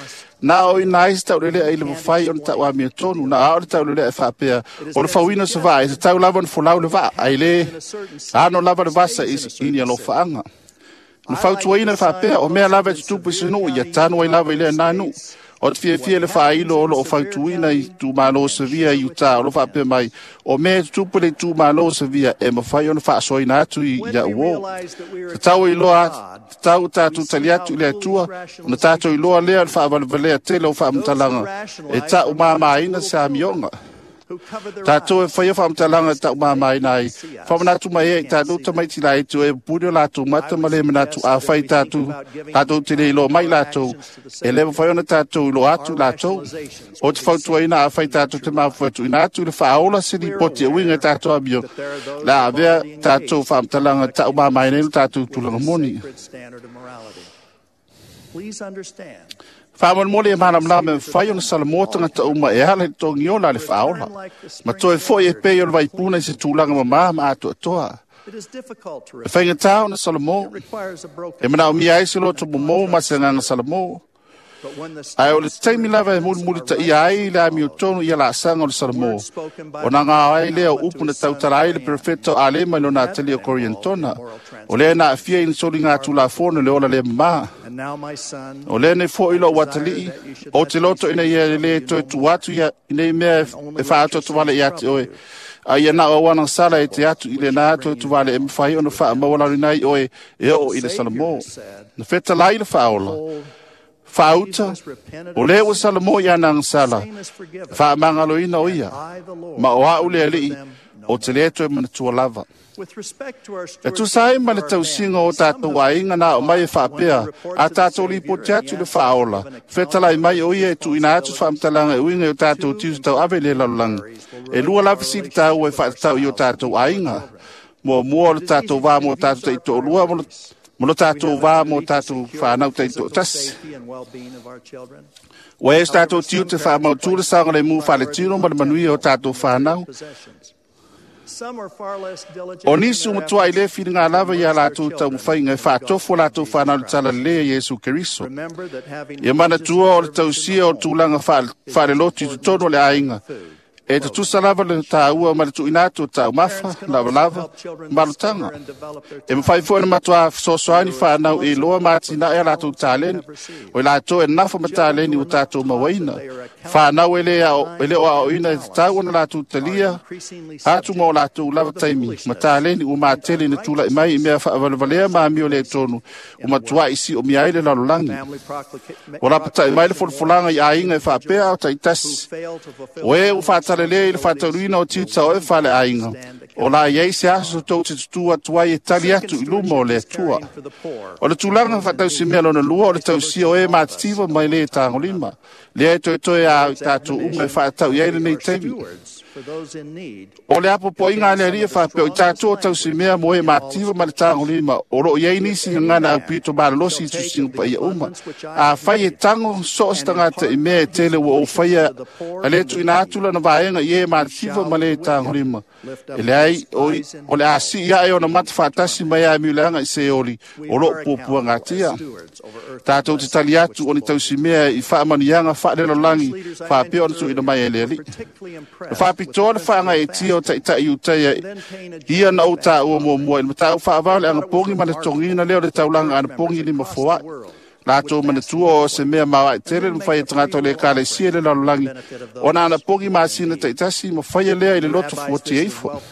Na o ina ai se taulelea i le mafai ona tauamiotonu, na ao le taulelea e faapea, o le fauina o se vaa, e tatau lava ona folau le vaa, ai le ano lava le vasa i ni alofaaga. Na fautuaina e faapea, o mea lava e tutupu i se nuu, ia tanu ai lava i lea na nuu. O te fiafia le faailo o loo fautuina i itumalo Savia i Utah o lo faapea mai, o mea e tutupu le itumalo Savia e mafai ona faasoaina atu i ia uo. Tatau iloa, tatau tatou tali atu i le Atua, ona tatou iloa lea o le faavalevalea tele o faamatalaga e taumamaina se amioga. Tatou e faia faamatalaga e taumamaina ai, faamanatu mai ai i tatou tamaiti laiti o e pupuni o latou mata ma le manatu afai tatou, tatou te le iloa mai latou, e le mafai ona tatou iloa atu latou. O te fautuaina afai tatou te mafufu tuuina atu i le faaola se lipoti e uiga i tatou amio, le a avea tatou faamatalaga e taumamaina ai lo tatou tulaga moni. Faamolemole e malamalama e mafai ona salamoa tagata uma e ala i le togiola a le faaola. Ma toe foi e pei o le vaipuna i se tulaga mamā ma atoatoa. E faigata ona salamo, e manaomia ai se loto momou ma se agaga salamo. Ae o le taimi lava e mulimulitaia ai le amiotonu ia laasaga o le salamo, ona gao ai lea o upu na tautala ai le perofeta o Alema i lona atalia o Koriantona, o lea na aafia i ni soliga tulafono le ola le mamā. O lea nei foi lou atalii, o te loto ina ia le toe tuu atu ia i nei mea e faaatoatoale ia te oe, a ia na o auana sala e te atu i lena toe tuvale e mafai ona faamaualaloina ai oe e oo i le salamo. Na fetalai le faaola, faauta, o lea ua salamo i ana agasala, faamagaloina o ia, ma o au le alii, o te le toe manatua lava. E tusa ai ma le tausiga o tatou aiga na o mai e faapea, a tatou lipoti atu le faaola, fetalai mai o ia e tuuina atu faamatalaga e uiga i o tatou tiute tauave i le lalolagi. E lua lava fesili taua e faatatau i o tatou aiga. Muamua o le tatou va mo tatou taitoalua ma lo tatou va mo tatou whanau taitoatasi. Ua e so tatou tiute faamautu le saogalemu faaletino ma le manuia o tatou whanau. O nisi umatuai le filiga lava ia latou taumafaiga e faatofo o latou whanau le talalelei a Iesu Keriso. Ia manatua o le tausia o tulaga faalelotu i totonu o le aiga, e tutusa lava le tāua ma le tuuina atu o taumafa, lavalava, malutaga. E mafai foi ona matua fesoasoani whanau e iloa ma atinae a latou taleni, o i latou e nafa ma taleni ua tatou mauaina. Whanau e le o aoina e tatau ona latou talia, atu ma o latou lava taimi, ma taleni ua matele na tulai mai i mea faavalevalea ma amio le tonu, ua matuai siomia ai le lalolagi. O lapatai mai le folafolaga i aiga e faapea o taitasi. O e ua faatalelea i le faataunuina o tiute o e fale aiga, o la iai se aso tou te tutu atu ai e tali atu i luma o le Atua. O le tulaga faatausimea lona lua o le tausia o e matitiva mai le tagolima, lea e toetoe a i tatou uma e faatau i ai lenei taimi. O le apoapoaiga a le Alii e faapea o i tatou o tausimea mo e matitiva ma le tagolima, o loo i ai nisi gagana aupito malolosi i tusiga paia uma. Afai e tago so o se tagata i mea e tele ua ou faia a le tuuina atu lana vaega i e matitiva ma le tagolima, e leai o le a sii ae ona mata faatasi mai a miuleaga i Seoli o loo puapuagatia. Tatou te tali atu o ni tausimea i faamanuiaga faalelolagi faapea ona tuuina mai e le Alii. Na faapitoa le faagaeetia o taitai Iutaia ia na ou taua muamua i le mataupu faavao le agapogi ma le totogiina lea o le taulaga anapogi lima foai. Latou manatua o se mea maoae tele le mafai e tagata o le ekalesia i le lalolagi ona anapogi masina taitasi ma faia lea i le loto fuatia ifo.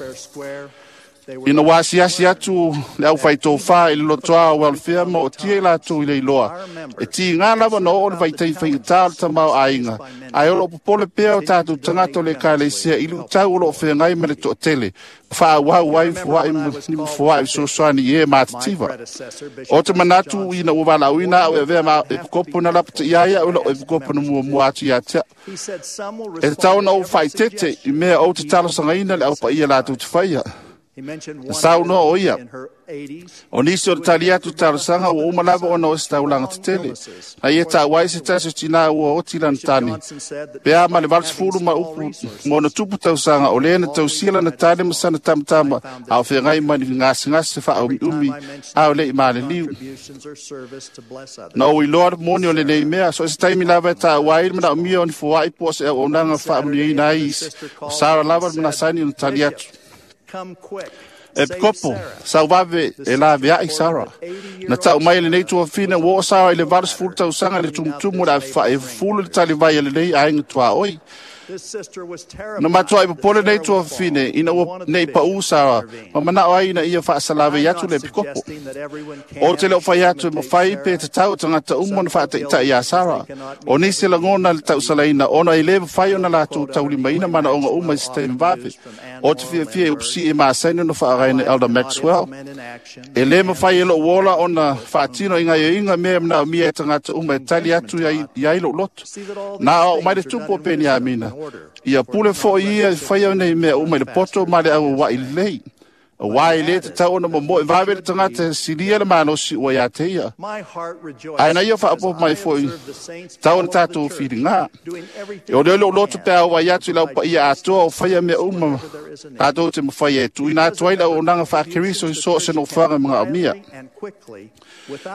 Ina ua asiasi atu le aufaitofā i le lotoa o welfare ma o tia i latou i le iloa, e tiga lava na oo le vaitaimi faigata o le tamaoaiga, ae o loo popole pea o tatou tagata o le ekalesia i luitau o loo feagai ma le toatele, faaauau ai foai ni mafoai fesoasoani i e matitiva. O te manatu ina ua valaauina au e avea ma epikopo na lapataia ai au i loo epikopo na muamua atu ia te au. E tatau ona ou faaitete i mea ou te talosagaina le aupaia latou te faia. Na saunoa o ia, o nisi o le tali atu talosaga ua uma lava ona o se taulaga tetele. Na ia ta'u ai se tasi o tinā ua oti lana tane, pe a ma le 80 ma upu ma ona tupu tausaga o lē na tausia lana tane ma sana tamatama a o feagai ma ni gasegase faaumiumi a o le'i maliliu. Na ou iloa le moni o lenei mea, so o se taimi lava e ta'u ai le manaomia o ni foa'i po o se auaunaga faamanuiaina ai isi, o Sara lava le manasani ona tali atu. E pikopo, sauvave e lavea'i Sara. Na ta'u mai e lenei tuafine ua oo Sara i le 80 tausaga i le tumutumu o le afafa'i e fufulu le talivai a lenei aiga tuaoi. Na matua'i popole nei tuafafine ina ua nei pa'ū Sara ma mana'o ai ina ia fa'asalavei atu le epikopo. O te le o fai atu e mafai pe tatau o tagata uma ona fa'ataʻitaʻi iā Sara. O nisi lagona le ta'usalaina ona e lē mafai ona latou taulimaina manaoga uma i se taimi vave. O te fiafia i upusi'i e masani ona fa'aagaina e Elder Maxwell. E lē mafai e lo'u ola ona fa'atino i gaioiga mea e manaomia e tagata uma e tali atu i ai lo'u loto. Na aoa'o mai le tupu o Peniamina, ia pule fo'i ia e faia nei mea uma i le poto ma le auaua'i lelei. Auā e lē tatau ona momo'e vave le tagata e silia le malosi ua iā te ia. Ae na ia faaopoopo mai fo'i tau ona tatou filigā. E ole ole loto pe a ai atu i lau paia atoa o faia mea uma tatou te mafaia e tuuina atu ai le auaunaga faa-Keriso i so o se nofoaga magaomia.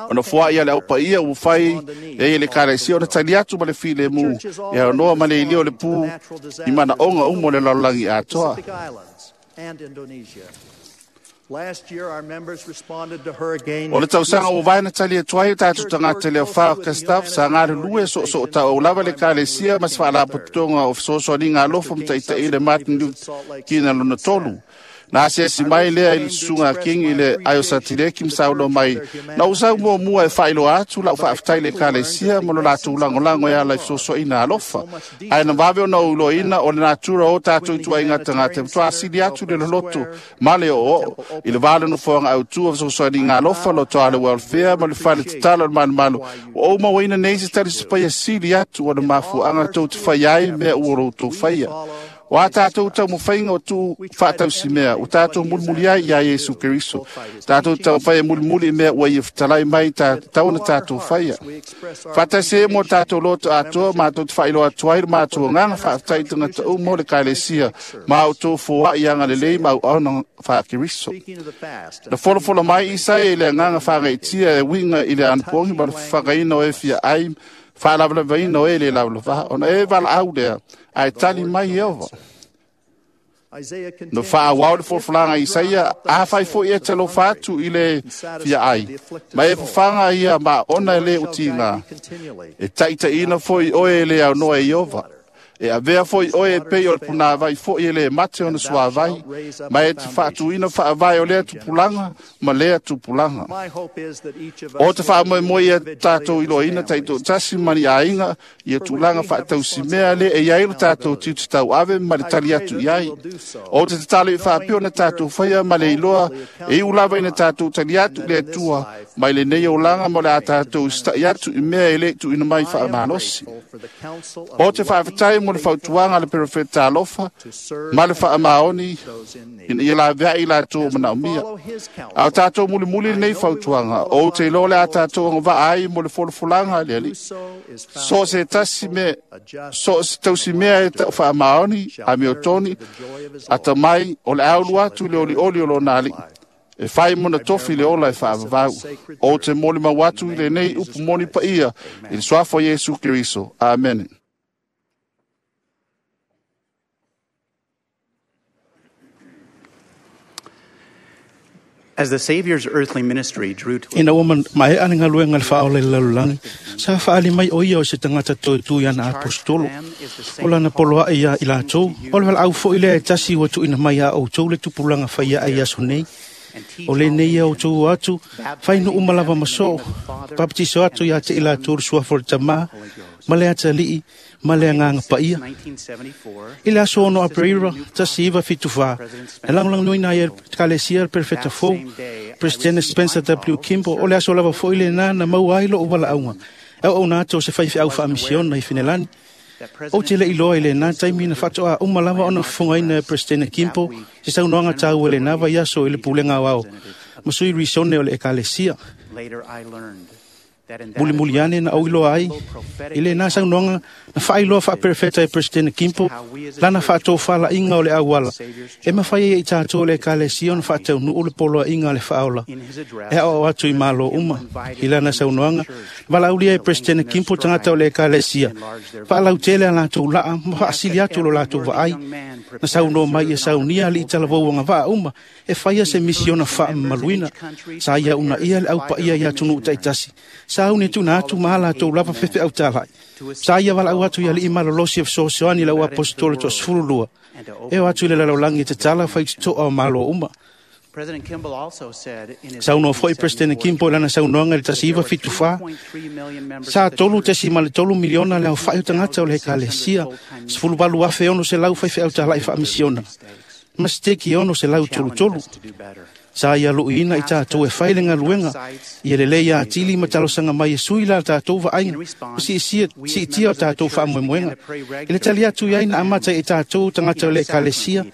Ona foa'i a le aupaia ua fai e ia le ekalesia ona tali atu ma le filemu e aonoa ma le ilia o le pū i manaoga uma o le lalolagi atoa. O le tausaga ua vae na tali atu ai o tatou tagata le aofā o Gustaf sa galulue soosoo tauau lava le ekalesia ma se faalapotopotoga o fesoasoaniga alofa ma taʻitaʻi le Martin Luther Kina lona tolu. Na asiasi mai lea i le susuga a King i le Aiosatileki ma saunoa mai, na ou sau muamua e faailoa atu la'u faafetai i le ekalesia ma lo latou lagolago e ala i fesoasoaina alofa. Ae na vave ona ou iloaina o le natura o tatou ituaiga tagata e matuā sili atu le loloto ma le o'oo'o i le va o le nofoaga autū o fesoasoaniga alofa lotoa le welfare ma le fale tatalo o le malumalu. Ua ou mauaina nei se talisapaia sili atu o le mafuaaga tou te faia ai mea ua loutou faia. O a tatou taumafaiga o tuu faatausimea, ua tatou mulimuli ai iā Iesu Keriso. Tatou taumafai e mulimuli i mea ua ia fetalai mai tatau ona tatou faia. Faatasi ai mo tatou loto atoa, matou te faailoa atu ai le matou agaga faafetai i tagata uma o le ekalesia ma outou foa'i agalelei ma auauna faa-Keriso. Na folafola mai Isaia i le agaga faagaitia e uiga i le anapogi ma le fafagaina o e fia ai faalavalavaina o e le lavalava, ona e valaau lea, ae tali mai Ieova. Na faaauau le folafolaga a Isaia, afai foi e talofa atu i le fia ai, ma e fafaga ia ma ona e lē utigā, e taʻitaʻiina foi oe e le aunoa e Ieova. E avea foi oe e pei o le punāvai foi e lē mate ona suāvai, ma e te faatuina faavae o lea tupulaga ma lea tupulaga. O te faamoemoe ia tatou iloaina taitoatasi ma ni aiga ia tulaga faatausimea lea e i ai lo tatou tiute tauave ma le tali atu i ai. O te tatalo i faapea ona tatou faia ma le iloa e iu lava ina tatou tali atu i le Atua mai lenei olaga ma o le a tatou usita'i atu i mea e lē tuuina mai faamalosi. O te faafetai mo le fautuaga a le perofeta alofa ma le faamaoni ina ia laveai i latou o manaomia. A o tatou mulimuli lenei fautuaga, ou te iloa le a tatou agavaa ai mo le folafolaga a le Alii. So o se tasi mea, so o se tausimea e ta'u faamaoni, amiotoni, atamai, o le a ulu atu i le olioli o lona Alii, e fai mona tofi le ola e faavavau. Ou te molimau atu i lenei upu moni paia i le suafa o Iesu Keriso. Amene. As the Savior's earthly ministry drew to Ina ua mae'a le galuega le faaola i le lalolagi, sa faaali mai o ia o se tagata toetū i ana apostolo. O lana poloaʻi iā i latou, o le valaau foʻi lea e tasi ua tuuina mai iā outou le tupulaga faiaʻa i aso nei. O lenei ia outou o atu, fai nuu ma lava ma soo, papatiso atu iā te i latou le suafa o le Tamā, ma le Atalii, ma le Agaga Paia. I le aso 6 Aperira 1974, na lagolagoina ai e le Ekalesia le Perofeta fou, Presidente Spencer W. Kimball, o le aso lava foʻi lenā na maua ai loʻu valaauga e auauna atu o se faifeau faamisiona i Finelani. Ou te le iloa i lena taimi na faatoa uma lava ona fofogaina e Peresetene Kimpo se saunoaga taua i lena vaiaso i le pulega aoao ma sui risone o le ekalesia. Mulimuli ane na ou iloa ai i lena saunoaga na faailoa faaperefeta e Peresetene Kimpo lana faatofalaiga o le auala e mafai ai e i tatou o le ekalesia ona faataunuu le poloaiga a le Faaola e aoao atu i Malo uma. I lana saunoaga, valaaulia e Peresetene Kimpo tagata o le ekalesia faalautele a latou laa ma faasili atu lo latou vaai. Na saunoa mai ia saunia alii talavou agavaa uma e faia se misiona faamamaluina. Sa ia uunaia le aupaia i atunuu taitasi sauni tuuina atu ma a latou lava faifeau talai. Sa ia valaau atu i alii malolosi e fesoasoani i le auaposetolo toasefululua e o atu i le lalolagi e tatala faitotoa o Malo uma. Saunoa foi Peresetene Kimpo i lana saunoaga i le 1974, sa 3.3 miliona le aofai o tagata o le ekalesia, 18,600 faifeau talai faamisiona, ma seteki e 633. Sa ia luiina i tatou e fai le galuega, ia lelei atili ma talosaga mai e sui la tatou vaaiga, ma siitia o tatou faamoemoega. I le tali atu i ai na amata i tatou tagata o le ekalesia,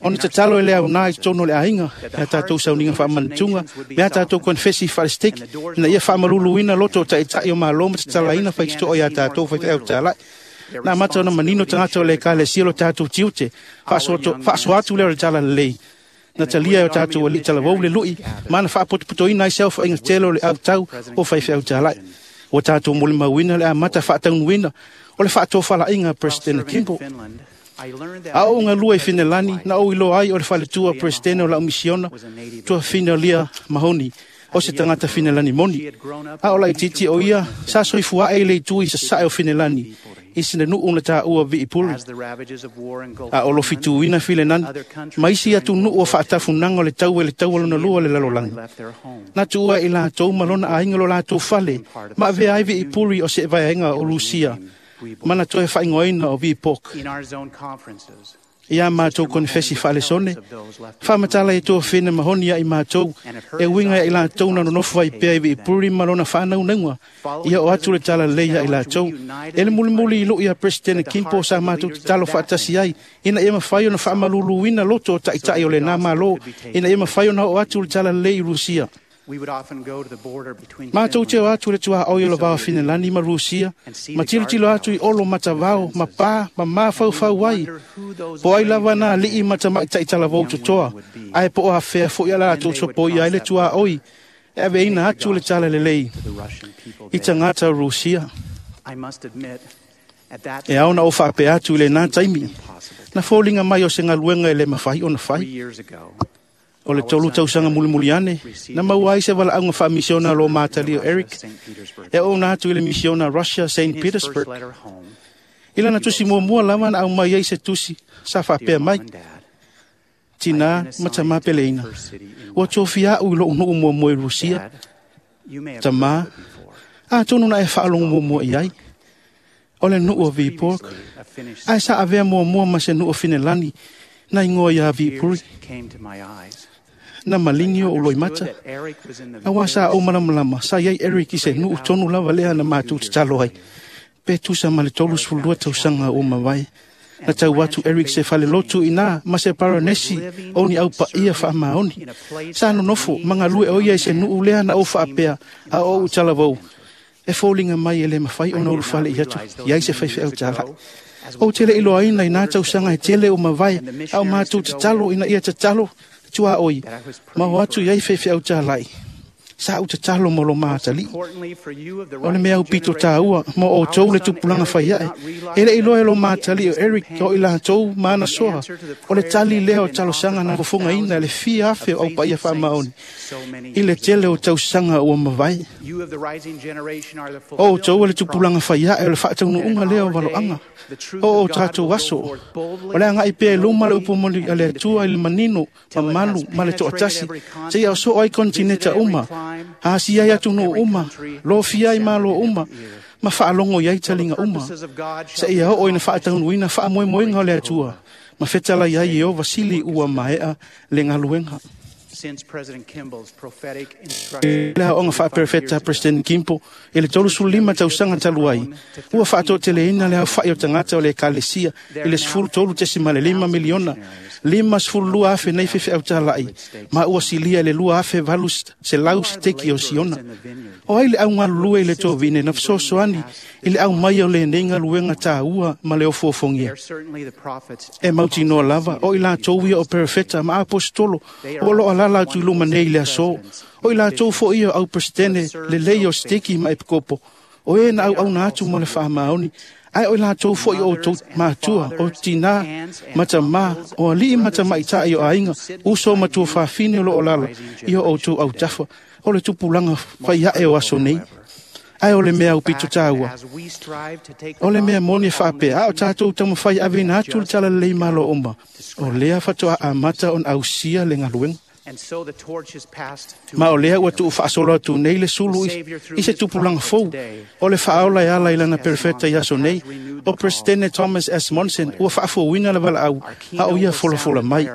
ona tatalo e le aoga i totonu o le aiga, me a tatou sauniga faamanatuga, me a tatou konefesi faalesiteki, ina ia faamaluluina loto o taitai o Malo ma tatalaina faitotoa ia tatou faifeau talai. Na amata ona manino tagata o le ekalesia lo tatou tiute, faasoa atu lea o le talalelei. Na talia e o tatou alii talavou le lui, ma na faapotopotoina ai se aofaiga tele o le autau o faifeau talai. Ua tatou molimauina le amata faataunuuina o le faatofalaiga a Peresetene Kimpo. A ou galue i Finelani, na ou iloa ai o le faletua Peresetene o lau misiona, tuafafine o Lia Mahoni, o se tagata Finelani moni. A o laitiiti o ia, sa soifua ae i le itu i sasae o Finelani, i se nuu na taua Viipuri. A o lofituina Finelani, ma isi atunuu o faatafunaga o le taua i le taua lona lua o le lalolagi. Na tuua i latou ma lona aiga lo latou fale, ma avea ai Viipuri o se vaega o Rusia, ma na toe faaigoaina o Viipok. Ia matou konefesi faalesone, faamatala e tuafafine Mahoni ia i matou, e uiga ia i latou na nonofo ai pea i Viipuri ma lona faanaunauga, ia o atu le talalelei ia i latou. E le mulimuli i lui a Peresetene Kimpo sa matou tatalo faatasi ai, ina ia mafai ona faamaluluina loto o taitai o lena Malo, ina ia mafai ona oo atu le talalelei i Rusia. Matou te o atu i le tuaoi o le va o Finelani ma Rusia, ma tilotilo atu i olo matavao, ma pā, ma mafaufau ai. Po ai lava na alii ma tamaitai talavou totoa, ae po o afea foi a latou sopoia ai le tuaoi, e aveina atu le talalelei i tagata o Rusia. E ao na ou faapea atu i lena taimi, na foliga mai o se galuega e le mafai ona fai. O le 3 tausaga mulimuli ane, na maua ai se valaauga faamisiona a lo matali o Eric, e ouna atu i le misiona Russia St. Petersburg. I lana tusi muamua lava na aumai ai se tusi, sa faapea mai, Tina ma tamā peleina, ua tofia au i lou nuu muamua i Rusia. Tamā, atonu na e faalogo muamua i ai. O le nuu o Viipuri, ae sa avea muamua ma se nuu o Finelani, na ingoa ia Viipuri. Na maligi o loimata. Auā sa ou malamalama, sa iai Eric i se nuu tonu lava lea na matou tatalo ai. Pe tusa ma le 32 tausaga ua mavae. Na tau atu Eric se falelotu i na ma se baronesi o ni aupaia faamaoni. Sa nonofo ma galue o ia i se nuu lea na ou faapea a o ou talavou. E foliga mai e le mafai ona ulufale i atu i ai se faifeau talai. Ou te le iloaina i nā tausaga e tele o mavae, a o matou tatalo ina ia tatalo tuaoi, ma o atu i ai faifeau talai. Sa ou tatalo mo lo matalii. O le mea aupito taua mo outou le tupulaga fai ae. E le iloa e lo matalii o Eric o i latou ma ana soa. O le tali lea o talosaga na fofogaina e le fia afe o aupaia faamaoni i le tele o tausaga ua mavae. O outou e le tupulaga fai ae o le faataunuuga lea o valoaga. O o tatou aso, o le agai pea i luma le upu moni a le Atua i le manino, mamalu ma le toatasi, seia osoo ai kontineta uma, asia ai atunuu uma, lofia ai Malo uma, ma faalogo i ai taliga uma, seia oo ina faataunuuina faamoemoega o le Atua, ma fetalai ai e o Vasili ua maea le galuega. Le aoaoga faaperefeta a President Kimball i le 35 tausaga talu ai, ua faatoateleina le aofa'i o tagata o le ekalesia i le 13.5 miliona 52,000 nei faifeau tala'i, ma ua silia i le 2,800 siteki o Siona. O ai le augalulue i le tovine na fesoasoani i le aumaia o lenei galuega tāua ma le ofuofogia? E mautinoa lava o i latou ia o perefeta ma aposetolo o loo alala atu i luma nei i le aso, o i latou foi ia o auperesitene lelei o siteki ma epikopo, o e na auauna atu ma le faamaoni, ae o i latou foi o outou matua, o tinā ma tamā, o alii ma tamaita'i o aiga, uso ma tuafafine o loo alala i o outou autafa, o le tupulaga faiae o aso nei. Ae o le mea aupito tāua, o le mea moni e faapea, a o tatou taumafai aveina atu le talalelei malo uma, o lea faatoa amata ona ausia le galuega. Ma o lea ua tuufaasolo atu nei le sulu i se tupulaga fou o le faaola e ala i lana perefeta i aso nei, o Presidente Thomas S. Monson, ua faafouina le valaau a o ia folafola mai.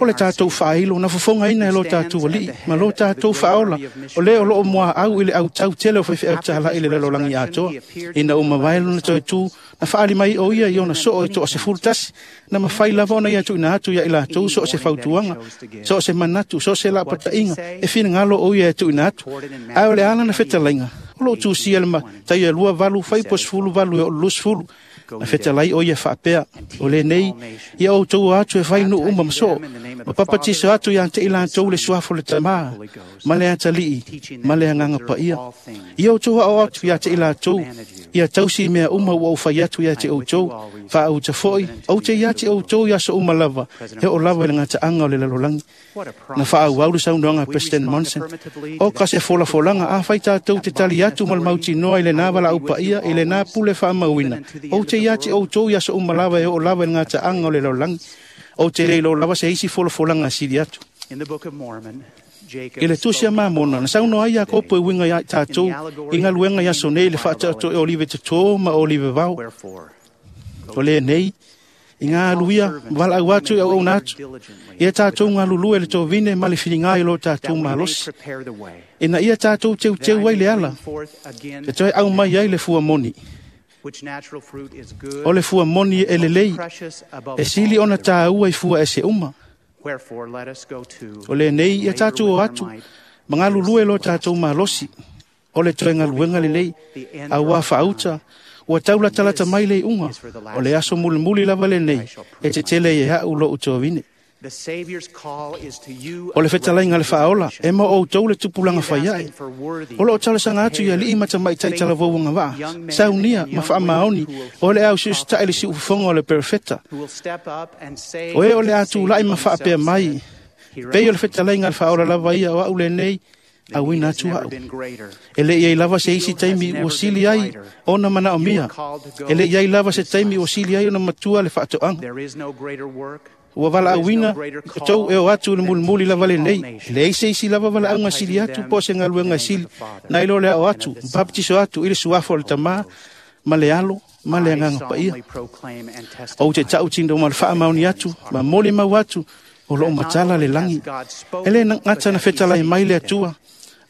O le tatou faailo na fofogaina e lo tatou alii ma lo tatou faaola, o lea o loo muaau i le autau tele o faifeau tala'i le lalolagi atoa. Ina ua mavae lona toe tu, na faaali mai o ia i ona soo e toa-11, na mafai lava ona ia tuuina atu ia i latou so o se fautuaga, so o se manatu, so o se lapataiga e finagalo o ia e tuuina atu. Ae o le ala na fetalaiga, o loo tusia le Mataio e 28 fuaiupu 18 e oo 20, na fetalai o ia faapea, o lenei ia outou o atu e fai nuu uma ma soo, ma papatiso atu ia te i latou le suafa o le Tamā ma le Atalii ma le Agaga Paia. Ia outou ao atu ia te i latou, ia tausi mea uma ua ou fai atu ia te outou, faauta foi, ou te ia te outou i aso uma lava, e oo lava i le gataaga o le lalolagi. Na faaauau le saunoaga a President Monson, o ka se folafolaga a fai tatou te tali atu ma le mautinoa i lenā valaau paia i lenā pule faamauina, ou te ia te outou i aso uma lava e oo lava i le gataaga o le lalolagi. Ou te le iloa lava se isi folafolaga sili atu. I le tusi a Mamona, na saunoa ai Iakopo e uiga ia tatou i galuega i aso nei le faataoto e olive totō ma olive vao. O lenei, i ngā aluia, valaau atu i auauna atu, ia tatou galulue le tovine ma le filiga i lo tatou malosi. Ina ia tatou teuteu ai le ala, e toe au mai ai le fua moni. O le fua moni e lelei, e sili ona tāua i fua ese uma. O lenei, ia tatou o atu, ma galulue lo tatou malosi, o le toe galuega lelei, auā faauta, ua taulatalata mai le iuga, o le aso mulimuli lava lenei, e tetele ai e a'u lo'u tovine. O le fetalaiga le faaola, e ma outou le tupulaga faiae. O loo talosaga atu i alii ma tamaitai talavou agavaa, saunia ma faamaoni, o le ausiusita'i le siufofoga o le perefeta. O e o le a tula'i ma faapea mai, pei o le fetalaiga le faaola lava ia o a'u lenei, auina atu a'u. E le i ai lava se isi taimi ua sili ai ona manaomia, e le i ai lava se taimi ua sili ai ona matua le faatoaga. Ua valaauina outou e o atu i le mulimuli lava lenei, e leai se isi lava valaauga sili atu po o se galuega sili, nai lo le ao atu, baptiso atu i le suafa o le Tamā ma le Alo ma le Agaga Paia. Ou te tautino ma le faamaoni atu, ma molimau atu, o loo matala le lagi. E le gata na fetalai mai le Atua,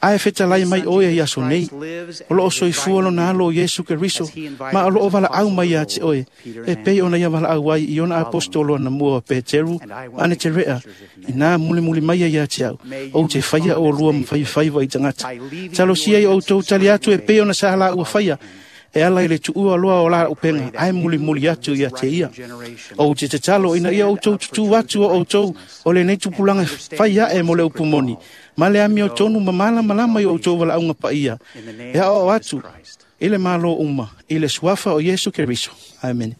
ae fetalai mai oe i aso nei. O loo soifua lona alo o Iesu Keriso, ma o loo valaau mai ia te oe, e pei ona ia valaau ai i ona apostolo ana mua o Peteru ma Aneterea, inā mulimuli mai ai ia te au, ou te faia olua ma faifaiva i tagata. Talosia i outou tali atu e pei ona sa la ua faia, e ala i le tuua loa o la upenga, ae mulimuli atu ia te ia. Ou te tatalo ina ia outou tutū atu o outou o lenei tupulaga fai ae mo le upu moni, ma le amiotonu ma malamalama i outou valaauga paia, e aoao atu i le malo uma, i le suafa o Iesu Keriso. Amene.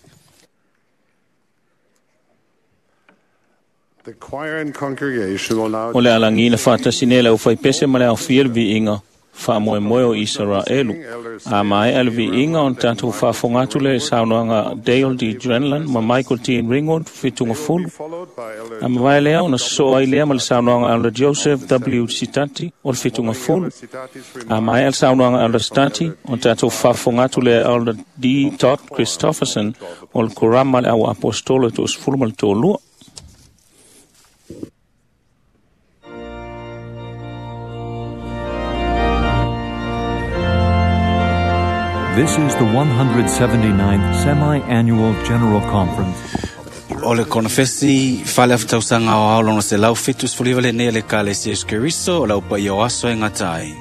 The choir and congregation will now O le alagi na faatasi nei le aufaipese ma le aofia le viiga faamoemoe o Isaraelu. A maea le viiga ona tatou faafofoga atu lea i saunoaga Dale D. Drenlin ma Michael T. Ringgold fituga fulu. A mavae lea ona sosoo ai lea ma le saunoaga Elder Joseph W. Sitati o le fituga fulu. A maea le saunoaga Elder Sitati ona tatou faafofoga atu lea Elder D. Todd Christofferson o le Korama le au apostolo e 22. This is the 179th Semi-Annual General Conference. O le konofesi fale afatausaga aoao lona 179 lenei a le Ekalesia Iesu Keriso o le aupaia o aso e gata ai.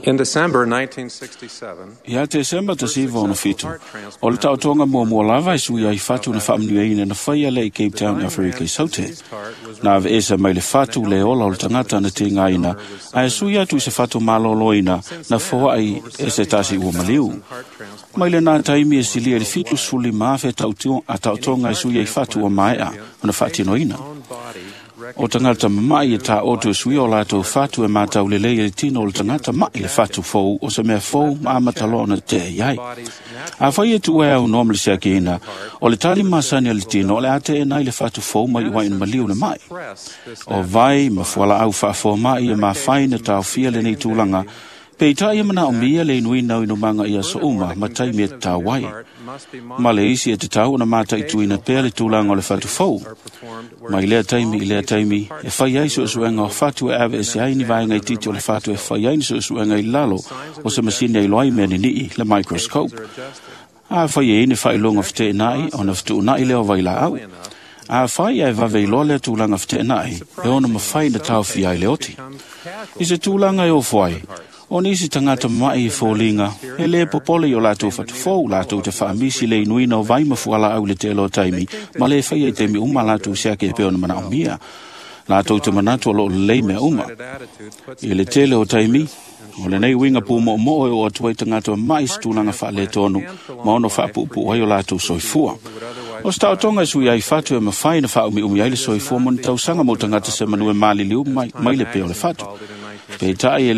In December 1967, Ia Tesemba ta siva ona fitu. O le taotoga muamua lava e sui ai fatu na faamanuiaina na faia lea i Cape Town, Aferika i Saute. Na ave esa mai le fatu le ola o le tagata na tigaina, ae sui atu i se fatu malōlōina na foai e se tasi ua maliu. Mai lenā taimi e silia i le 75,000 a taotoga e sui ai fatu ua maea ona faatinoina. O tagata mama'i e taoto e suia o latou fatu e matau lelei e le tino o le tagata ma'i le fatu fou o se mea fou ma amataloa ona tea i ai. Afai e tuua e aunoa ma le siakiina, o le tali masani a le tino o le a teena ai le fatu fou mai uaina maliu le ma'i. O vai ma fualaau faafoma'i e mafai na taofia lenei tulaga, peitai e manaomia le inuina o inumaga i aso uma ma taimi e tatau ai. Ma le isi e tatau ona mataituina pea le tulaga o le fatu fou. Mai lea taimi i lea taimi e fai ai suesuega o fatu e aveese ai ni vaega itiiti o le fatu e fai ai ni suesuega i lalo o se masini e iloa ai mea ninii, le microscope. Afai e i ai ni faailoga feteenai ona fetuunai lea o vailaau. Afai ae vave iloa lea tulaga feteenai, e ono mafai na taofia ai le oti. I se tulaga e ofo ai, o nisi tagata mama'i i foliga, e lē popole i o latou fatufou latou te faamisi le inuina o vai ma fualaau i le tele o taimi, ma lē faia i taimi uma latou siaki e pei ona manaomia. Latou te manatu o loo lelei mea uma. I le tele o taimi, o lenei uiga pumoomoo e oo atu ai tagata mama'i i se tulaga faaletonu ma ono faapuupuu ai o latou soifua. O se taotoga e sui ai fatu e mafai na faaumiumi ai le soifua mo ni tausaga mo tagata se manu e maliliu mai le pea o le fatu. Peitai e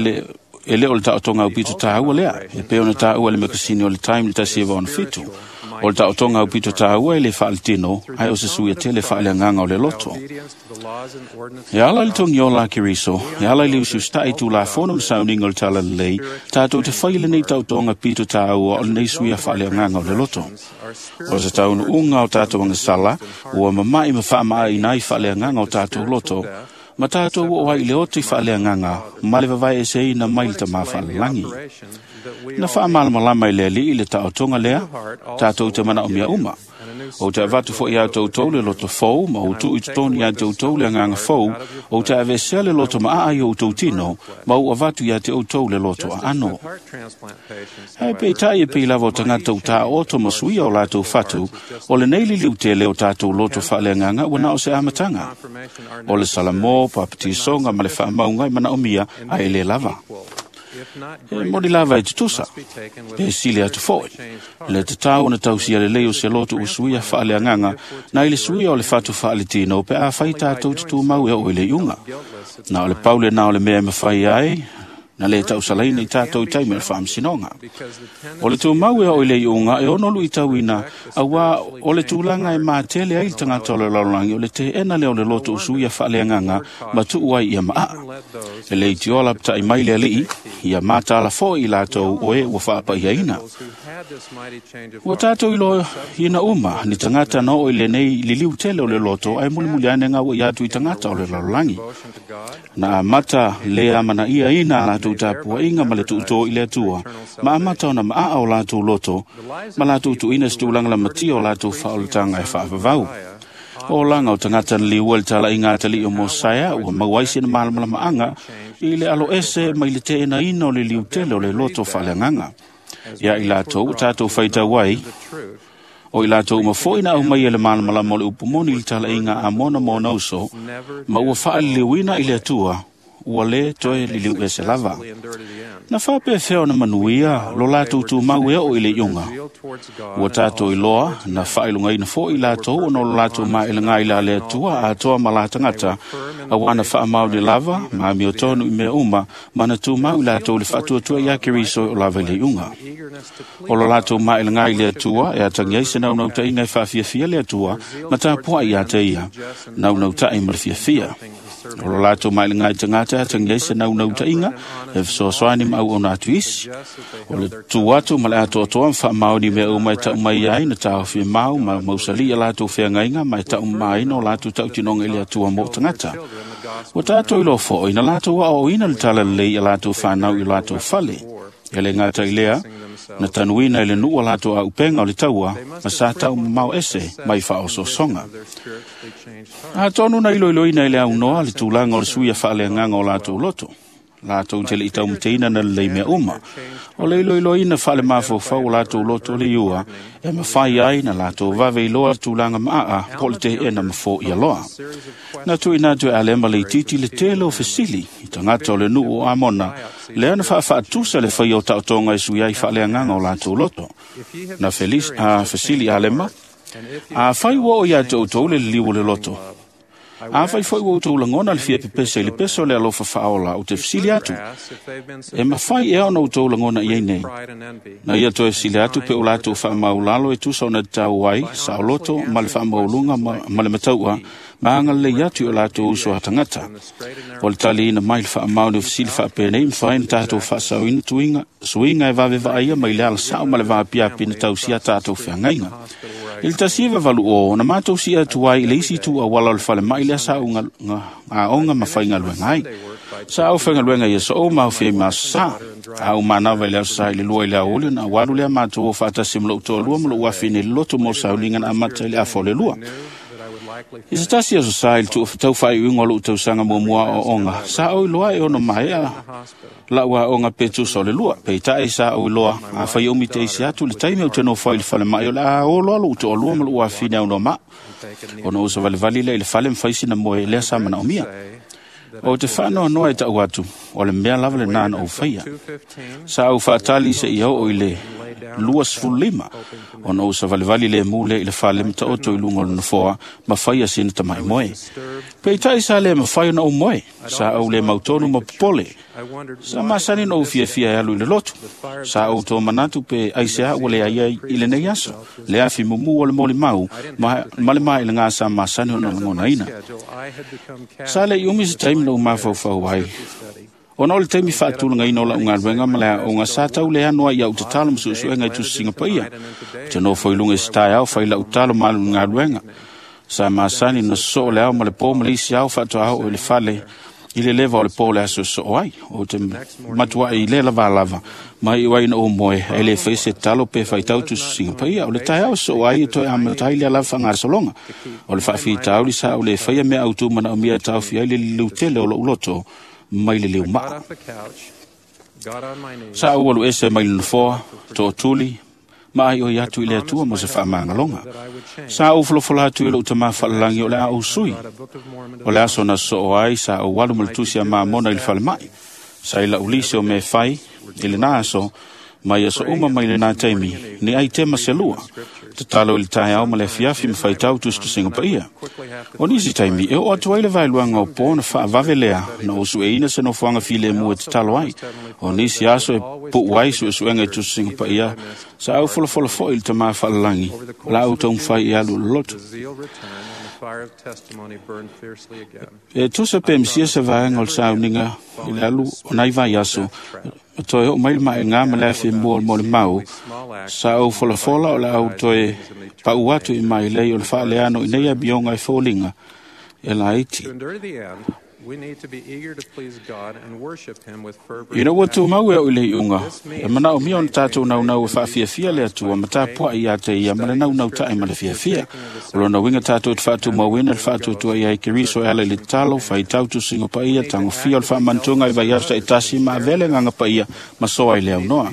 le o le taotoga aupito tāua lea, e pei ona tāua i le makasini o le Time i le 1967. O le taotoga aupito tāua e le faaletino, ae o se suia tele faaleagaga o le loto. E ala i le togiola a Keriso, e ala i le usiusita'i i Tulafono ma sauniga o le Talalelei, tatou te fai lenei taotoga pito tāua o lenei suia faaleagaga o le loto. O se taunuuga o tatou agasala, ua mama'i ma faama'aina ai faaleagaga o tatou loto, ma tatou oo ai i le oti faaleagaga ma le vavaeeseina mai le Tamā faalalagi. Na faamalamalama i le Alii le taotoga lea, tatou te manaomia uma. Ou te avatu foi iā toutou le loto fou ma ou tuu i totonu iā te outou le agaga fou, ou te aveesea le loto maaa i o outou tino, ma ou avatu iā te outou le loto aano. Ae peitai e pei lava o tagata ua taoto ma suia o latou fatu, o lenei liliu tele o tatou loto faaleagaga ua na o se amataga. O le Salamo, papatisoga ma le faamauga e manaomia ae lē lava. E moni lava e tutusa, pe sili atu foi. Le tatau ona tausia lelei o se loto ua suia faaleagaga na i le suia o le fatu faaletino pe afai tatou te tumau e oo i le iuga. Na o le pau lenā o le mea e mafai ai na lē tausalaina i tatou i taimi o le faamasinoga. O le tumau e oo i le iuga e ono luitauina, auā o le tulaga e matele ai le tagata o le lalolagi o le teena lea o le loto o suia faaleagaga ma tuu ai ia maaa. E le itioa lapata'i mai le Alii, ia matala foi i latou o e ua faapaiaina. Ua tatou iloaina uma ni tagata na oo i lenei liliu tele o le loto ae mulimuli ane gaua'i atu i tagata o le lalolagi. Na amata le amanaiaina a latou latou tapuaiga ma le tuutō i le Atua, ma amata ona maaa o latou loto, ma latou tuuina se tulaga lamatia o latou faaolataga e faavavau. O laga o tagata na liua i le talaiga a atalii o Mosaia ua maua ai sina malamalamaaga i le alo ese mai le teenaina o le liutele o le loto faaleagaga. Ia i latou ua tatou faitau ai, o i latou uma foi na aumai e le malamalama o le upu moni i le talaiga a Amona ma ona uso, ma ua faaliliuina i le Atua, ua lē toe liliu ese lava. Na faapefea ona manuia lo latou tumau e oo i le iuga. Ua tatou iloa na faailogaina foi i latou ona o lo latou maelaga i la le Atua atoa ma la tagata, auā na faamaoni lava ma amiotonu i mea uma ma na tumau i latou le faatuatua iā Keriso e oo lava i le iuga. O lo latou maelaga i le Atua e atagi ai se naunautaiga e faafiafia le Atua ma tapuai iā te ia, naunautai ma le fiafia. O lo latou maelaga i tagata e atagi ai se naunautaiga e fesoasoani ma auauna atu isi. O le tu atu ma le atoatoa ma faamaoni mea uma e tau mai ai na taofi mau ma mausali a latou feagaiga ma e taumamaina o latou tautinoga i le Atua mo tagata. Ua tatou iloa foi na latou aoaoina le talalelei i a latou fanau i o latou fale. E le gata i lea, na tanuina i le nuu a latou auupega o le taua ma sa taumamao ese mai faaosoosoga. Atonu na iloiloina i le aunoa le tulaga o le suia faaleagaga o latou loto. Latou te le i taumateina na lelei mea uma. O le iloiloina faale-mafaufau o latou loto le iua, e mafai ai na latou vave iloa le tulaga maaa po o le teena ma foia loa. Na tuuina atu e Alema Leititi le tele o fesili i tagata o le nuu o Amona, lea na faafaatusa le faia o taotoga e sui ai faaleagaga o latou loto. Na fesili Alema, afai ua oo ia te outou le liliu o le loto, afai foi ua outou lagona le fia pepese i le peso o le alofa faaola, ou te fesili atu, e mafai ea ona outou lagona i ai nei? Na ia toe fesili atu pe o latou faamaulalo e tusa ona tatau ai, saoloto ma le faamaualuga ma le mataua, ma agalelei atu i o latou uso a tagata. O le taliina mai le faamaoni o fesili faapenei mafai ona tatou faasaoina suiga e vave vaaia mai le alasao ma le vaapiapi na tausia tatou feagaiga. I le 1980, na matou si'i atu ai i le isi itu auala o le falemai lea sa ou aoga ma faigaluega ai. Sa ou faigaluega i aso uma aofia i ma aso Sā. A ou manava i le aso Sā i le 2 i le aoauli ona ou alu lea matou o faatasi ma lou toalua ma lou afine i le lotu mo le sauniga na amata i le 1:30. I se tasi aso Sā i le tau faaiuiuga o lou tausaga muamua aoaoga, sa ou iloa e ono maea lau aoga pe tusa o le 2. Peitai sa ou iloa, afai umi te isi atu le taimi ou te nofo ai i le falemai o le a o loa lou toalua ma lou afine aunoa ma'a. Ona ou savalivali lea i le fale ma fai sina moe lea sa manaomia. Ou te faanoanoa e ta'u atu, o le mea lava lenā na ou faia. Sa ou faatali seia oo i le 25, ona ou savalivali lemu lea i le fale ma taoto i luga o le nofoa ma faia sina tama'i moe. Peitai sa le mafai ona ou moe, sa ou le mautonu ma popole. Sa masani na ou fiafia e alu i le lotu. Sa ou tomanatu pe aiseā ua leai ai i lenei aso, le afi mumu o le molimau ma le maelaga sa masani ona lagonaina. Sa le i umi se taimi na ou mafaufau ai, ona o le taimi faatulagaina o lau galuega ma le aoga sa tau leano ai i au tatalo ma suesuega i tusisiga paia. Ou te nofo i luga i se taeao fai lau tatalo ma alu i le galuega. Sa masani na sosoo le ao ma le pō ma le isi ao faatoa oo i le fale i le leva o le pō le aso e sosoo ai. Ou te matuai i le lava lava, ma iu ai na ou moe, e le fai se tatalo pe faitau tusisiga paia. O le taeao e sosoo ai e toe amata ai lea lava faagasologa. O le faafitauli sa ou le faia mea autū manaomia e taofi ai le liliutele o lou loto mai le liumaa. Sa ou alu ese mai le nofoa, tootuli, ma aioi atu i le Atua mo se faamagaloga. Sa ou folofola atu i lou tamā faalalagi o le a ou sui. O le aso na sosoo ai sa ou alu ma le tusi a Mamona i le falemai. Sa i lau lisi o mea e fai i lenā aso, mai aso uma mai lenā taimi, ni ai tema se lua. Tatalo i le taeao ma le afiafi ma faitau tusitusiga paia. O nisi taimi e oo atu ai le vaeluaga o pō na faavave lea na ou sueina se nofoaga filemu e tatalo ai. O nisi aso e pu'u ai suesuega i tusitusiga paia, sa au folafola foi i le tamā faalalagi, o la ou taumafai e alu i le lotu. E tusa pe misia se vaega o le sauniga i le alu o nai vaiaso, ma toe oo mai le maʻegā ma le afi mua o le molimau, sa ou folafola o le a ou toe pa'u atu i mailei o le faaleano i nei amioga e foliga e laiti. Ina ua tumau e au i le iuga, e manaomia ona tatou naunau e faafiafia le Atua ma tapuai ia te ia ma le naunautai ma le fiafia. O lona uiga tatou te faatumauina le faatuatua ia i Keriso e ala i le tatalo, faitau tusiga paia, tagofia o le faamanatuga i vaiaso taitasi ma avea le agaga paia ma soa i le aunoa.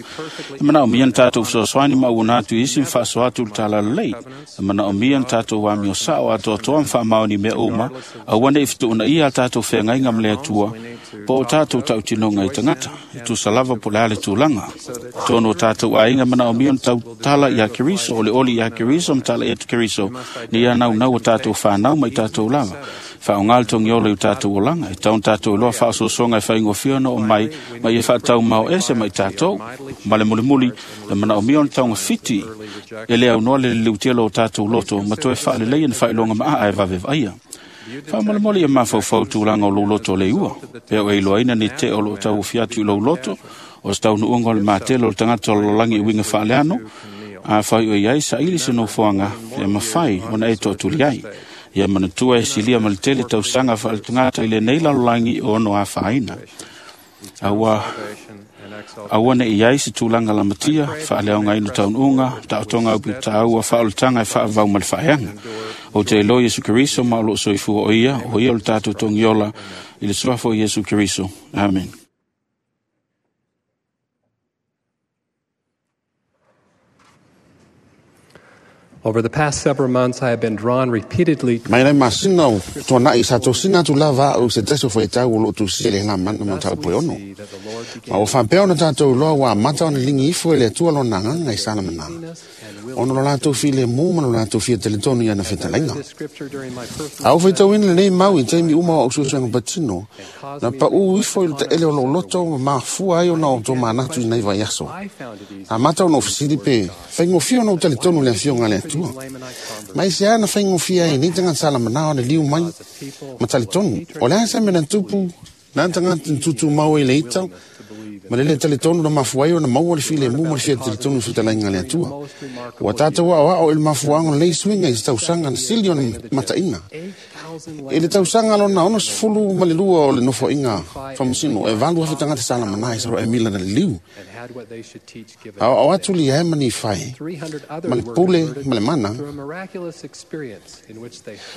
E manaomia na tatou fesoasoani ma auona atu i isi ma faasoa atu le talalelei. E manaomia na tatou amio sao atoatoa ma faamaoni mea uma, aua ne i fetuunaia a tatou feagaiga ma le Atua, po o tatou tautinoga i tagata, e tusa lava po o le a le tulaga. Tonu o tatou aiga manaomia na tautala ia Keriso, o le oli ia Keriso ma tala atu Keriso, ni ia naunau o tatou whanau mai tatou lava. Whaonga le togiola i o tatou olaga, e tau na tatou iloa faasoasoaga e faigofie ona oo mai, ma ia faatau mao ese mai tatou. Ma le mulimuli, e manaomia ona taugafiti e le aunoa le liliutela o tatou loto, ma toe faaleleia ni faailoga maa e vave vaaia. Faamolemole ia mafaufau tulaga o lou loto le iua. Pe o e iloaina ni te o loo tauofi atu i lou loto, o se taunuuga o le matelo o le tagata o le lalolagi i uiga faaleano, a fai o iai saili se nofoaga e mafai ona e toatuli ai. Ia manatua e silia ma le tele tausaga faaletagata i lenei lalolagi o ono afaina. Aua ne i ai se tulaga lamatia, faaleaogaina taunuuga, taotoga aupiutaua, faaolataga e faavavau ma le faaeaga. O te iloa Iesu Keriso ma o loo soifua o ia o le tatou togiola i le suafa o Iesu Keriso. Amen. Over the past several months, I have been drawn repeatedly Mai lai masina o tuanai sa tosina atu lava au se tasi o faitau o loo tusia le lamana ma tau ono. Ma o whaapea ona tātou loa ua amata ona lingi ifo e le Atua lona agaga i Salamana. Ona lo latou filemu ma lo latou fia teletonu i ana fetalaina. A o faitauina lenei mau i taimi uma o au suesuega patino, na pau ifo i le taele o lou loto ma mafua ai ona o tō manatu i nei vaiaso. Amata ona o fesili pe, faigofie ona ou talitonu le afioga a le Atua. Ma i se a na faigofie ai nei tagata Salamana ona liu mai ma talitonu. O le a se mea na tupu, na tagata na tutumau ai le ita, ma le le talitonu na mafua ai ona maua le filemu ma le fia talitonu i fetalaiga a le Atua. Ua tatou aoao i le mafuaaga o lenei suiga i se tausaga na sili ona mataina. I le tausaga lona 62 o le nofoaiga faamasino, e 8,000 tagata Salamana i Saroa e mila na liliu. Aoao atu lia e ma Nifai, ma le pule ma le mana,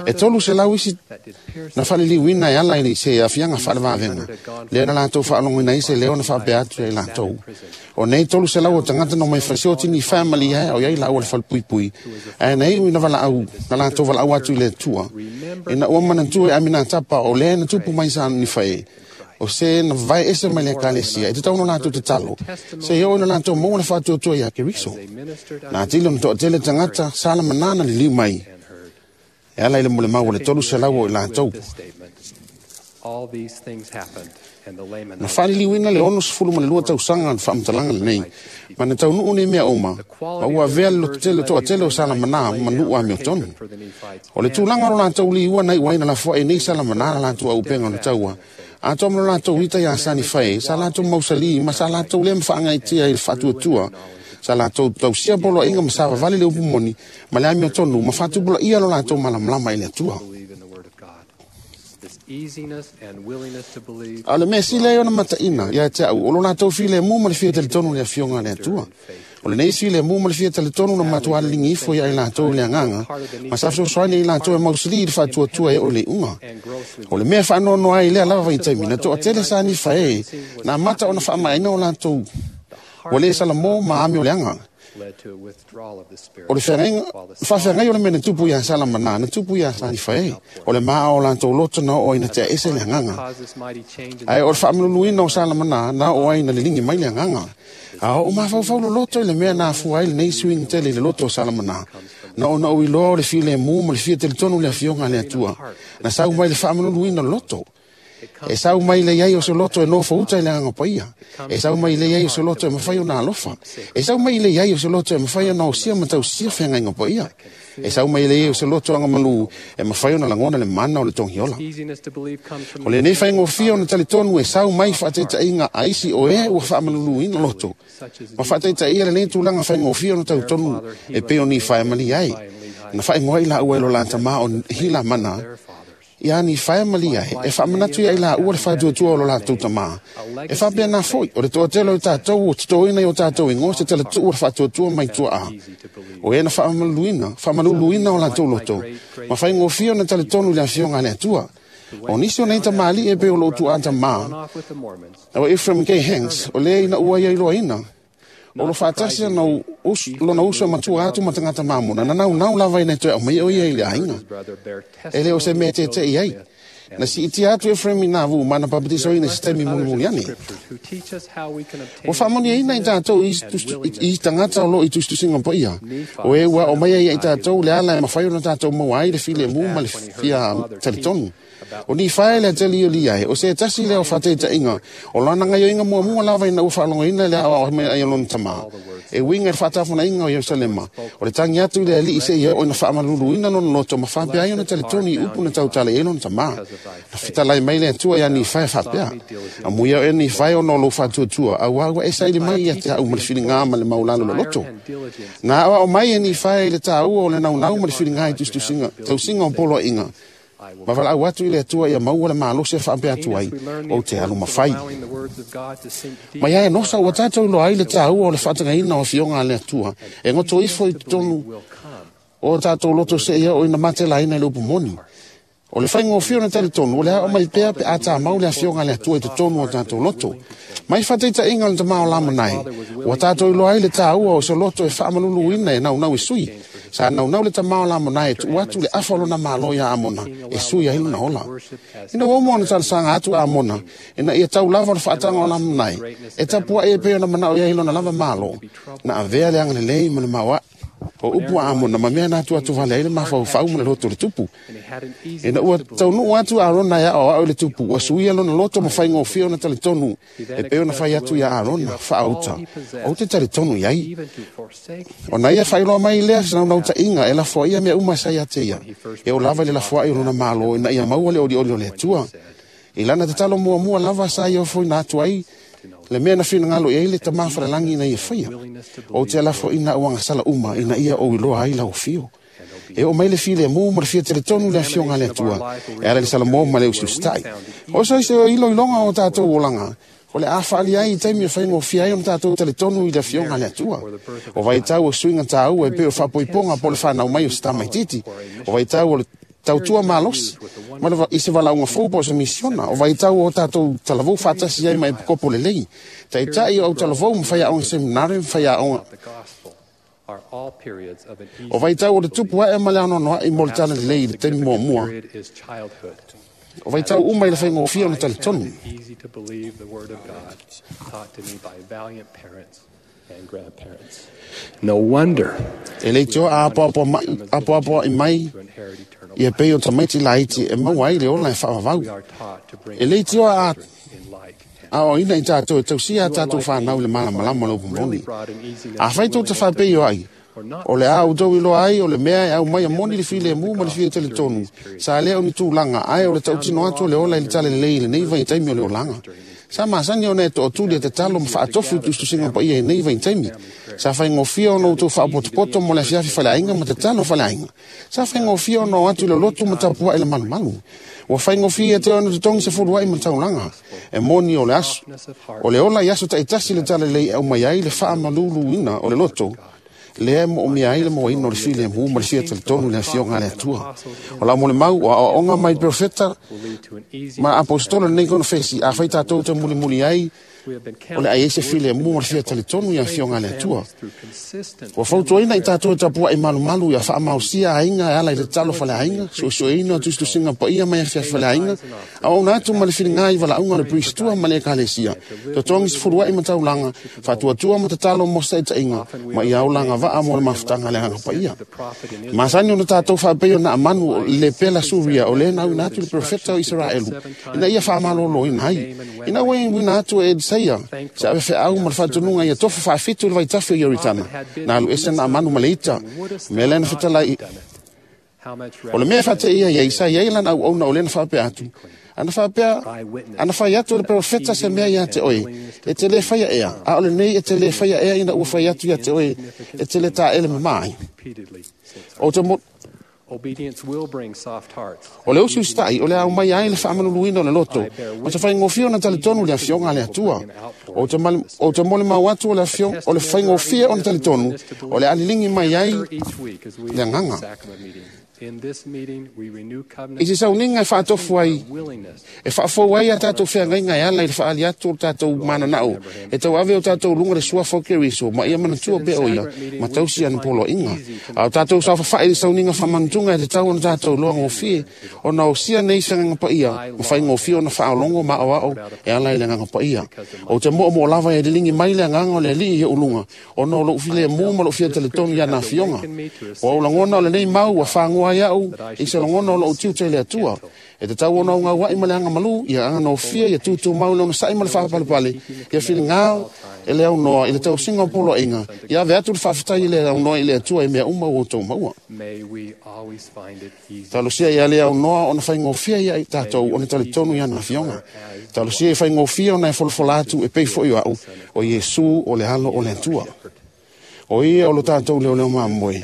e 300 isi na faaliliuina e ala i se afiaga faalevaveaga, lea na latou faalogoina ai se leo na faapea atu ia i latou. O nei 300 o tagata na omai fasioti Nifai ma lia e o iai laua le falepuipui, ae na iu ina valaau, na latou valaau atu i le Atua, ina ua manatua e Aminatapa o lea na tupu mai sa Nifai, o se na vae ese mai le ekalesia, e te tau na latou tatalo, se i oo na latou maua le faatuatua ia Keriso. Na atili ona toatele tagata Salamana na liliu mai, e ala i le molemau o le 300 o i latou. All these things happened, and the Na Lamanites faaliliuina le 62 tausaga le faamatalaga lenei, ma na taunuu nei mea uma, ma ua avea le lototele toatele o Salamana ma nuu amiotonu. O le tulaga o lo latou liua na iu ai na lafoai nei Salamana na latou auupega o le taua, atoa ma lo latou ita ia Sanifai, sa latou mausali ma sa latou le mafaagaitia i le faatuatua, sa latou tausia poloaiga ma savavali le upu moni, ma le amiotonu ma faatupulaia lo latou malamalama i le Atua. believe in the Word of God. This easiness and willingness to believe A o le mea sili ai ona mataina ia te au, o lo latou filemu ma le fia talitonu i le afioga a le Atua. O lenei filemu ma le fia talitonu na matua lilingi ifo ia i latou i le agaga, ma sa fesoasoani i latou e mausali i le faatuatua e oo i le iuga. O le mea faanoanoa ai i lea lava vaitaimi, na toatele sa Nifai e, na amata ona faamaeaina o latou ua le salamo ma amio leaga. led to a withdrawal of the Spirit. O le feagaiga, faafeagai o le mea na tupu ia Salamana, na tupu ia sa Nifai e. O le maa o latou loto na oo ai na tea ese le agaga. Caused this mighty change in Ae o le faamaluluina o Salamana na oo ai na lilingi mai le agaga. A o mafaufau loloto i le mea na afua ai lenei suiga tele i le loto o Salamana. Na ona ou iloa o le filemu ma le fia talitonu i le afioga a le Atua. Na sau mai le faamaluluina o le loto. E sau mai le iai o se loto e nofo uta i le agaga paia. E sau mai le iai o se loto e mafai ona alofa. E sau mai le iai o se loto e mafai ona osia ma tausia feagaiga paia. E sau mai le iai o se loto agamalu e mafai ona lagona le mana o le togiola. easiness to believe comes from O lenei faigofie ona talitonu e sau mai faataitaiga a isi o e ua faamaluluina loto. Ma faataitaia lenei tulaga faigofie ona talitonu e pei o Nifai ma Lehi. Na faaigoa ai laua e lo la tamā o Hilamana, Ia ni whae malia e whaamanatu ia ila ua le whaatuatua o lo lātou tamā. E whapea nā foi, o le toatelo i tātou, o titoina i o tātou ingoa, se tele tuu o le whaatuatua mai tua a. O ena whaamaluluina o lātou loto, ma whai ngōwhio na tale tonu le awhionga le atua. O nisi o nei tamali e pe o lotu a tamā. O Ephraim K. Hanks, o lea ina ua ia iloa O lo whaatasi na lona uso matua atu matangata mamona, na nau nau lava ina toe au mai o ia i le ainga. E leo se mea te te i ai. Na si iti atu Ephraim i nā vu, mana papatiso ina se taimi mulimuli ane. O whaamoni ina i tātou i tangata o lo i tustusinga pa ia. O e ua o mai ia i tātou le ala e mawhai o na tātou maua ai le file mu ma le fia teletonu. O ni whae le ateli o liae, o se tasi leo whateita inga, o lana ngai o inga mua mua lava ina ua whaalonga ina le awa o mea ai o lona tamā. E winga e whaatafuna inga o Yerusalema, o le tangi atu i le ali i se ia o ina whaamalulu ina lona loto ma whapea ai o na teletoni i upu na tautale e lona tamā. Na fitalai mai le atua ia ni whae whapea. A muia o e ni whae o no lo whaatuatua, a ua e saili mai ia te au ma le whiringa ma le maulalo lo loto. Nā awa o mai e ni whae i le tāua o le naunau ma le whiringa i tustusinga, tausinga o polo inga. Ma wala au atu i le atua ia maua le malosi e whaapea atu ai o te alu mawhai. Ma ia e nosa ua tātou loa ai le tāua o le whaatangaina o whionga le atua. E ngoto ifo i tonu o tātou loto se ia o ina matela ina i le upumoni. O le whainga o whio na tale tonu, o le ao mai pea pe a tā mau le awhionga le atua i te tonu o tātou loto. Mai whateita inga le tamao lama nai, ua tātou iloa ai le tāua o se loto e whaamalulu ina e nau nau e sui. Sa nau nau le tamao lama nai e tuu atu le afa lona malo ia amona, e sui ai lona ola. Ina uomo ona talsanga atu amona, ina ia tau lava o le whaatanga o lama nai, e tapua e peo na manao ia ilona lava malo, na avea le anga le lei ma le maua. O upu a amona, ma mea nā atu atu vale ai le mawhau ma le loto le tupu. Ina ua taunu atu Arona ia o au le tupu, ua suia lona loto ma whainga o whio na tale tonu, e peo na whai atu ia Arona, whaauta. O te tale tonu iai. O na ia whailoa mai lea sa nau ta inga, e la fua ia mea uma sa ia te ia. E o lava le la fua i o lona malo, ina ia maua le oli oli o le atua. I lana te talo mua mua lava sa ia ofo ina atu ai, le mea na whina ngalo i le tamā wharalangi ina ia whaia. O te alafo ina uanga sala uma ina ia o iloa ai lau whio. E o mai le file mō ma le fia teletonu le awhionga le atua. E ala le sala mō ma le usustai. O sa ise ilo ilonga o tātou olanga. O le awhaali ai i taimi o whainga o fia ai o tātou teletonu i le awhionga le atua. O vaitau o suinga tāua e peo whapoiponga po le whanau mai o stamai titi. O vaitau o le tautua malosi, ma le i se walaunga fōpo o se misiona, o vaitau o tātou talavou whaatasi ai mai kopo le lei. Taitai o talavou mwhaia onga seminare, mwhaia onga. O vaitau o le tupu ae ma le anonoa i mo le tala le lei i le taimi mua mua. O vaitau uma i le whainga o whio na tale tonu. No wonder. E le tio a apoapoa i mai ia pei o tamaiti laiti e maua ai le ola e whaawawau. E le tio a o ina i tātou e tausia a tātou whanau le malamalama le upumoni. A whai tō te whapei o ai. O le au tau iloa ai, o le mea e au mai a moni le file e mū ma le fia tele tonu. Sa lea o ni tūlanga, ai o le tautino atu o le ola i le tale lei le nei vai taimi o le olanga. Sa masani o nei to tuli e te talo ma whaatofu tustusinga pa ia e nei vai taimi. Sa whaingofia o no tau whaapotopoto mo le fiafi whaleainga ma te talo whaleainga. Sa whaingofia o no atu le lotu ma tapua e le malumalu. Ua whaingofia te ono te tongi se fulu ai ma taulanga. E moni o le aso. O le ola i aso taitasi le tale lei au mai ai le whaamalulu ina o le loto. Le mo o mea ai le mo ino le file mu ma le fia tele le afioga le atua. O la mo le mau o aoaoga mai profeta ma apostolo nei kono fesi a fai tātou te mulimuli ai o le ai se file mu ma le fia tele i afioga le atua. Ua fautuaina i tātou e tapua i malumalu ia whaamausia ainga e ala i le talo faleainga, suesueina o tustusinga paia mai afia faleainga, a ona atu ma le whiringa i walaunga le pristua ma le ekalesia. Totogi se fuluai ma taulanga, whaatuatua ma tatalo mo sa itainga, ma ia aulanga waa mo le mafutanga le hanga paia. Masani o na tātou whaapeo na amanu le pela suria o le nau ina atu le profeta o Israelu, ina ia whaamalolo ina ai. Ina ua ina atu e Eliseia, se ave wheau ma le whaatununga ia tofu whaafitu le vaitafi o Ioritana, na alu ese na amanu ma le ita, me lena whitalai. O le mea whate ia ia isa ia lana au auna o lena whaapea atu. Ana whaapea, ana whai atu le profeta se mea ia te oe, e te le whaia ea, a ole nei e te le whaia ea ina ua whai atu ia te oe, e te le tā ele mamai. O te mo... O le usiusitai o le au mai ai le faamaluluina o le loto, ma te faigofie ona talitonu le afioga a le Atua. Ou te molimau atu o le afioga o le faigofie ona talitonu o le aliligi mai ai le agaga. I se sauniga e faatofu ai, e faafou ai a tatou feagaiga e ala i le faaali atu o le tatou mananao, e tauave o tatou luga le suafa o Keriso, ma ia manatua pea o ia, ma tausi ana poloaiga. A o tatou saofafai i le sauniga faamanutuga e tatau ona tatou iloa gofie, ona osia nei se agaga paia, ma faigofie ona faaologo ma aoao e ala i le agaga paia. Ou te moomoo lava e liligi mai le agaga o le Alii i ou luga, ona o lou filemu ma lou fia talitonu i ana afioga. O au lagona o lenei mau ua fagoa ai au i se lagona o lou tiute i le Atua. E tatau ona augauai ma le agamalu, ia aganofia, ia tutumau le onosai ma le faapalepale, ia filiga e le aunoa i le tausiga o poloaiga, ia ave atu le faafetai i le aunoa i le Atua i mea uma ua outou maua. Talosia ia le aunoa ona faigofie ia i tatou ona talitonu i ana afioga. Talosia ia faigofie ona e folafola atu e pei foi o au, o Iesu o le alo o le Atua. O ia o lo tatou leoleo mamoe,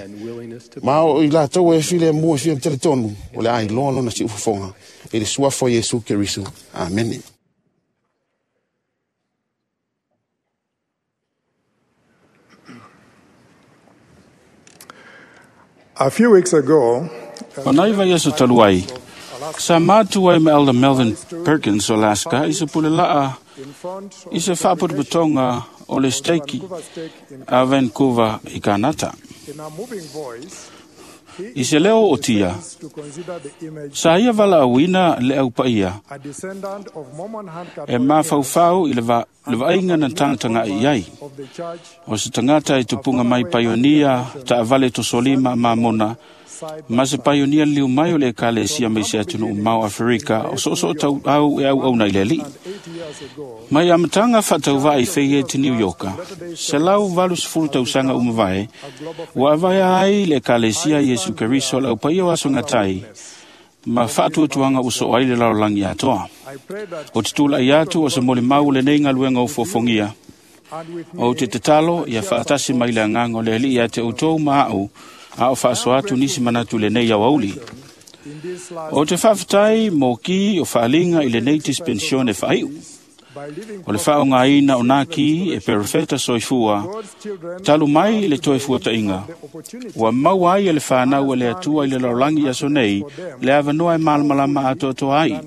ma o i latou e filemu e fia talitonu, o le a iloa lona siufofoga i le suafa o Iesu Keriso. Amene. A few weeks ago, O nai vai aso talu ai, sa mātu ai ma Elder Melvin Perkins o Alaska i se pule laa i se whaaputuputonga o le steiki a Vancouver i Kanata. I se leo o tia, sa ia wala auina le au paia e mawhauwhau i le vainga na tangatanga i ai. O se tangata i tupunga mai paionia ta avale tosolima mamona, ma se paionia liu mai o le ekalesia mai se atunuu mau Aferika o soosoo tau au e au au nei le alii. Mai amataga faatauvaa i Fayette New Yorka, 180 tausaga uma vae, ua avaea ai le ekalesia Iesu Keriso le aupaia o aso gatai, ma faatuatuaga ua soo ai le lalolagi atoa. O te tula'i atu o se molimau lenei galuega o fuafogia, ou te tatalo ia faatasi mai le agaga o le Alii ia te outou ma a'u, a o faasoa atu nisi manatu lenei aoauli. O te faafetai mo ki o faaliga i lenei dispensione faaiu. O le faaogaina o nā ki e perofeta soifua, talu mai i le toe fuata'iga, ua maua ai e le fanau e le Atua i le lalolagi aso nei le avanoa e malamalama atoatoa ai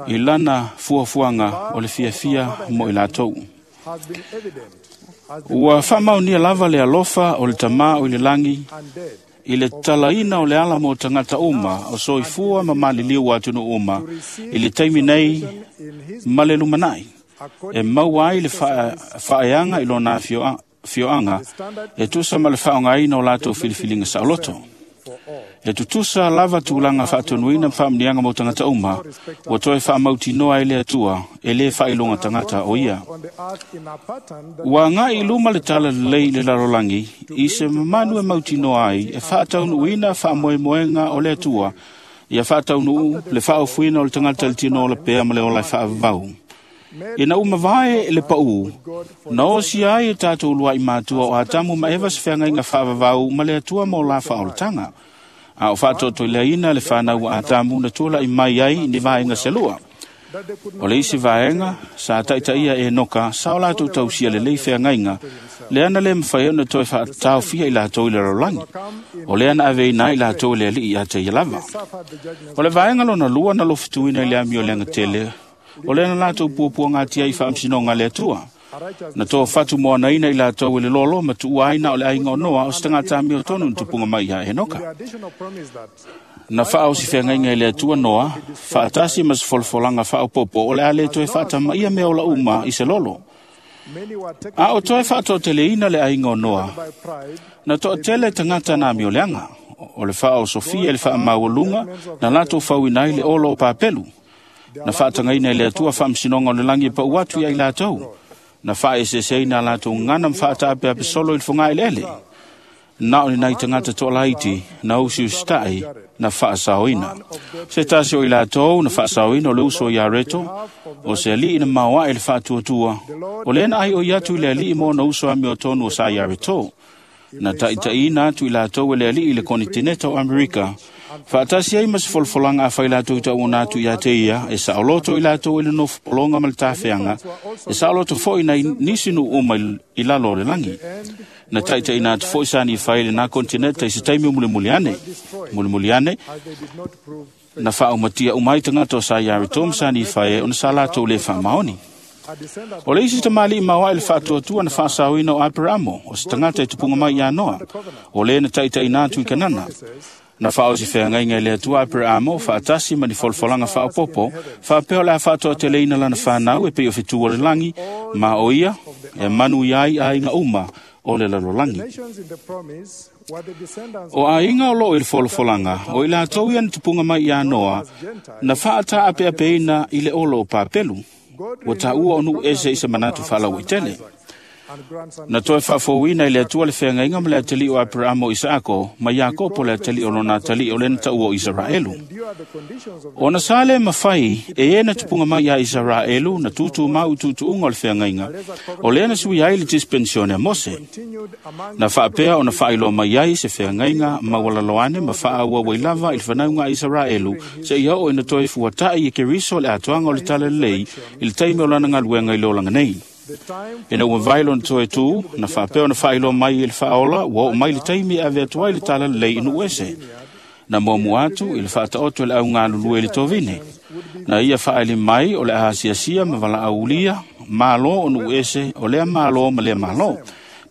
i lana fuafuaga o le fiafia mo i latou. Ua faamaonia lava le alofa o le Tamā o i le lagi i le talaina o le ala mo tagata uma o soifua ma maliliu o atunuu uma i le taimi nei ma le lumanai e maua ai le faaeaga i lona afioaga e tusa ma le faaaogaina o latou filifiliga saoloto. E tutusa lava tulaga faatonuina ma faamuniaga mo tagata uma, ua toe faamautinoa ai le Atua e lē faailoga tagata o ia. Ua aga'i i luma le tala lelei i le lalolagi i se mamanu e mautinoa ai e faataunuuina faamoemoega o le Atua, ia faataunuu le faaofuina o le tagata i le tino ola pea ma le ola e faavavau. Ina uma vae le paū, na osia ai e tatou lua'i matua o Atamu ma Eva se feagaiga faavavau ma le Atua mo la faaolataga. A o faatoatoileaina le fanau a Atamu na tula'i mai ai ni vaega selua. O le isi vaega sa taitaia e Enoka sa o latou tausia lelei feagaiga, lea na le mafai ona toe faataofia i latou i le lalolagi. O lea na aveina ai latou e le Alii ia te ia lava. O le vaega lona lua na lofituina i le amio leaga tele, o lea na latou puapuagatia i faamasinoga a le Atua. Na toa fatu moanaina i latou e le lolo ma tuua ai na o le aiga o Noa o se tagata amiotonu na tupuga mai ia Enoka. Na faaosi feagaiga i le Atua Noa, faatasi ma se folafolaga faaopoopo o le a le toe faatamaia mea ola uma i se lolo. A o toe faatoateleina le aiga o Noa, na toatele tagata na amioleaga, o le faaosofia i le faamaualuga na latou fauina ai le olo o Papelu. Na faatagaina e le Atua faamasinoga o le lagi e pau atu ia i latou. Na faaeseeseina a latou gagana ma faataapeape solo i le fogaeleele. Na o ni nai tagata toalaiti na usiusita'i na faasaoina. Se tasi o i latou na faasaoina o le uso ia Reto, o se alii na maoae le faatuatua, o lea na ai o i atu i le alii mo na uso amiotonu o sa ia Reto. Na taʻitaʻiina atu i latou e le aliʻi i le konitineta o Amerika, faatasi ai ma se folafolaga afai latou tauona atu iā te ia, e saoloto i latou i le nofopologa ma le tafeaga, e saoloto foʻi nai nisi nuu uma i lalo o le lagi. Na taʻitaʻiina atu foʻi sa Nifai i lenā konitineta i se taimi o mulimuli ane. Mulimuli ane, na faaumatia uma ai tagata o sa Iareto ma sa Nifai e ona sa latou lē faamaoni. O le isi tamalii maoaʻe le faatuatua na faasaoina o Aperamo, o se tagata e tupuga mai iā Noa, o lē na taʻitaʻina atu i Kanana. Na faaosi feagaiga i le Atua Aperamo faatasi ma ni folafolaga faaopopo, faapea o le a faatoateleina lana fanau e pei o fetū o le lagi, ma o ia e manuia ai aiga uma o le lalolagi. O aiga o loo i le folafolaga, o i latou ia na tupuga mai iā Noa, na faatāʻapeʻapeina i le olo o Papelu, ua taua o nuu ese i se manatu faalauaitele. Na toe faafouina i le Atua le feagaiga ma le atalii o Aperamo o Isaako ma Iakopo le atalii o lona atalii o lena taua o Isaraelu. Ona sa lē mafai e ē na tupuga mai iā Isaraelu na tūtūmau i tuutuuga o le feagaiga, o lea na sui ai le dispensione a Mose. Na faapea ona faailoa mai ai se feagaiga maualalo ane ma faaauau ai lava i le fanauga a Isaraelu seia oo ina toe fuataʻi e Keriso le atoaga o le Talalelei i le taimi o lana galuega i le olaga nei. Ina ua vai lona toe tū, na faapea ona faailoa mai e le faaola ua oo mai le taimi e ave atu ai le Talalelei i nuu ese. Na muamua atu i le faataoto e le augalulue i le tovine. Na ia faaali mai o le a asiasia ma valaaulia malo o nuu ese o lea malo ma lea malo.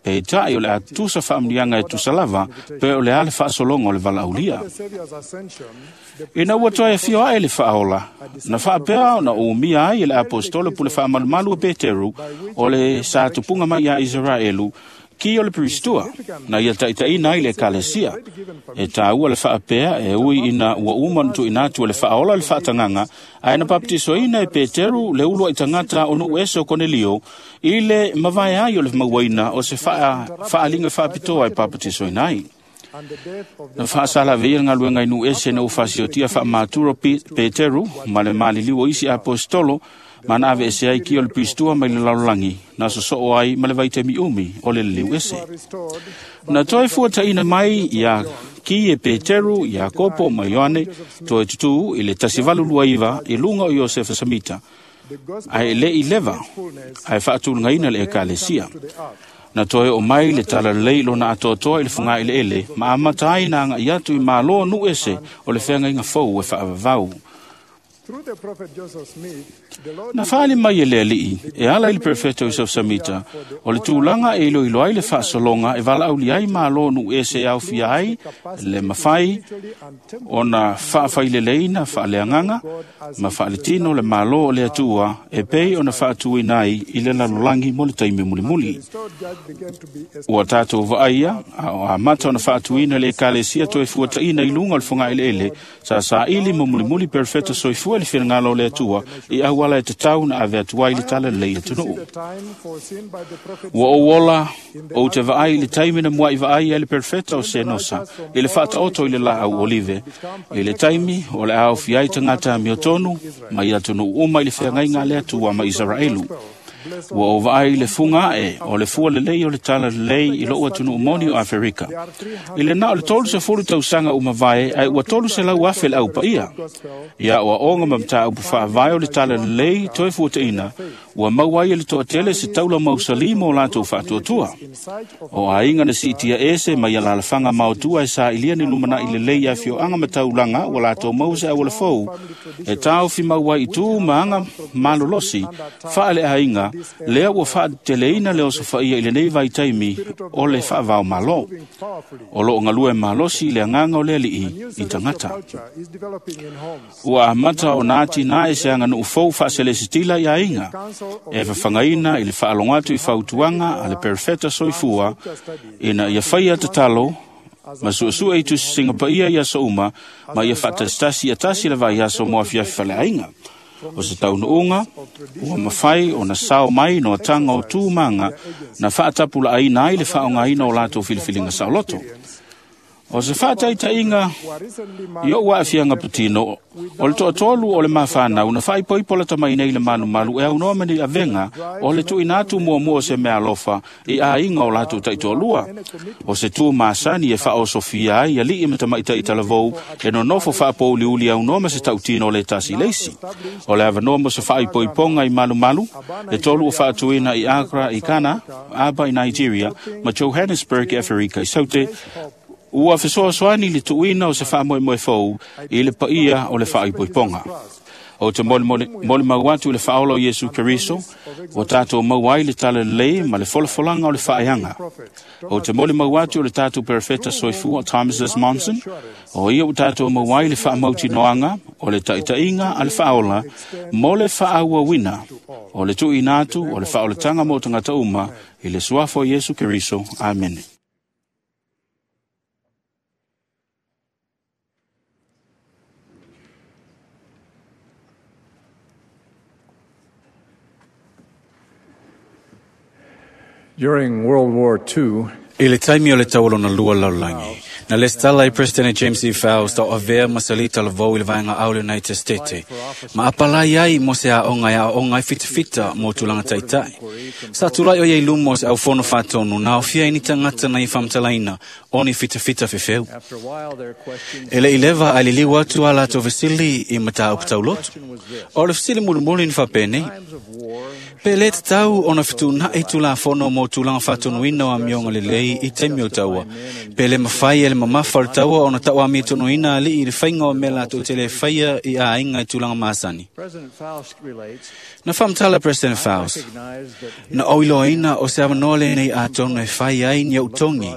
Peitai o le a tusa faamuniaga e tusa lava pe o le a le faasologa o le valaaulia. Ina ua toe afio aʻe le faaola, na faapea ona umia ai e le aposetolo pule faamalumalu o Peteru o le sa tupuga mai iā Isaraelu ki o le peristua, na ia taʻitaʻina ai le ekalesia. E tāua le faapea e ui ina ua uma ona tuuina atu e le faaola le faatagaga, ae na papatisoina e Peteru le ulu ai tagata o nuu ese o Konelio i le mavae ai o le mauaina o se faaaliga faapitoa e papatisoina ai. Na faasalaveia le galuega i nuu ese na ua fasiotia faamaturo Peteru ma le maliliu o isi aposetolo ma na aveese ai ki o le peristua mai le lalolagi na sosoo ai ma le vaitaimi umi o le liliu ese. Na toe fuataʻina mai iā ki e Peteru, Iakopo ma Ioane toe tutū i le 1829 i luga o Iosefa Samita, ae e leʻi leva ae faatulagaina le ekalesia. Na toe o mai le talalelei lona atoatoa i le fogaʻileʻele ma amata ai na agaʻi atu i mālō nuu ese o le feagaiga fou e faavavau. Na faali mai e le aliʻi e ala i le perofeta o Iosefo Samita o le tulaga e iloilo ai le faasologa e valaaulia ai mālō nuu ese e aofia ai le mafai ona faafaileleina faaleagaga ma faaletino le mālō o le Atua e pei ona faatuina ai i le lalolagi mo le taimi mulimuli. Ua tatou vaaia a o amata ona faatuina le ekalesia toe fuataʻina i luga o le fogaʻeleʻele sa saili ma mulimuli perofeta soifua le finagalo o le Atua i auala e tatau na ave atu ai le Talalelei atunuu. Ua ou ola ou te vaai i le taimi na muaʻi vaai ai le perofeta o Senosa i le faataoto i le laau olive, i le taimi o le a aofia ai tagata amiotonu mai atunuu uma i le feagaiga a le Atua ma Isaraelu. Ua ou vaai i le fuga aʻe o le fua lelei o le Talalelei i lou atunuu moni o Aferika. I le na o le 30 tausaga uma vae ae ua 300,000 le aupaia. Ia oaoga ma mataupu faavae o le Talalelei toe fuataʻina, ua maua ai e le toatele se taula mausali mo latou faatuatua. O aiga na siitia ese mai alalafaga maotua e sailia ni lumanaʻi lelei i afioaga ma taulaga ua latou maua se auala fou e taofi mau ai i tū ma aga malolosi faaleaiga lea ua faateteleina le osofaia i lenei vaitaimi o le faavao malo. O loo galue malosi i le agaga o le aliʻi i tagata. Ua amata ona atinae se aganuu fou faaselesitila i aiga e fafagaina i le faalogo atu i fautuaga a le perofeta soifua ina ia faia tatalo ma suesue i tusisiga paia i aso uma ma ia faatasitasi ia tasi le vaiaso mo afiafi faleaiga. O se taunuuga ua mafai ona sao mai noataga o tū maga na faatapulaaina ai le faaaogaina o latou filifiliga saoloto. O se faataitaiga i o'u aafiaga patino, o le toatolu o le mafanau na faaipoipo lata mai nei le malumalu e aunoa ma ni avega o le tuuina atu muamua o se meaalofa i aiga o latou taitoalua. O se tu masani e faaosofia ai ali'i ma tamaita'i talavou e nonofo faapouliuli aunoa ma se tautino le tasi leisi. O le avanoa mo se faaipoipoga i malumalu, e tolu o faatuina i Accra i Ghana, Aba i Nigeria, ma Johannesburg i Aferika i Saute, ua fesoasoani le tuuina o se faamoemoe fou i le paia o le faaipoipoga. O te molimau atu i le faaola o Iesu Keriso, ua tatou maua ai le talalelei ma le folafolaga o le faaeaga. O te molimau atu i le tatou perofeta soifua Thomas S. Monson, o ia ua tatou maua ai le faamautinoaga o le taitaiga a le faaola mo le faaauauina o le tuuina atu o le faaolataga mo tagata uma i le suafa o Iesu Keriso. Amene. During World War II, I le taimi o le taualona lua lalolagi, na lesitala ai President James E. Faust o avea ma salita lavou i le vaega au le United States, ma apalai ai mo se aoga e aoga ai fitafita mo tulaga taitai. Sa tulai o ia i luma o se aufono faatonu na aofia ai ni tagata na i faamatalaina o ni fitafita fefeu. E le i leva ae liliu atu a latou fesili i mataupu tauloto. O le fesili mulimuli na faapenei, pe lē tatau ona fetuuna'i tulafono mo tulaga faatonuina o amioga lelei i taimi o taua, pe le mafai e le mamafa o le taua ona tauamiatonuina ali'i i le faiga o mea latou te lē faia i aiga i tulaga masani. Na faamatala President Faust, na ouiloaina o se avanoa lenei atonu e fai ai ni outogi,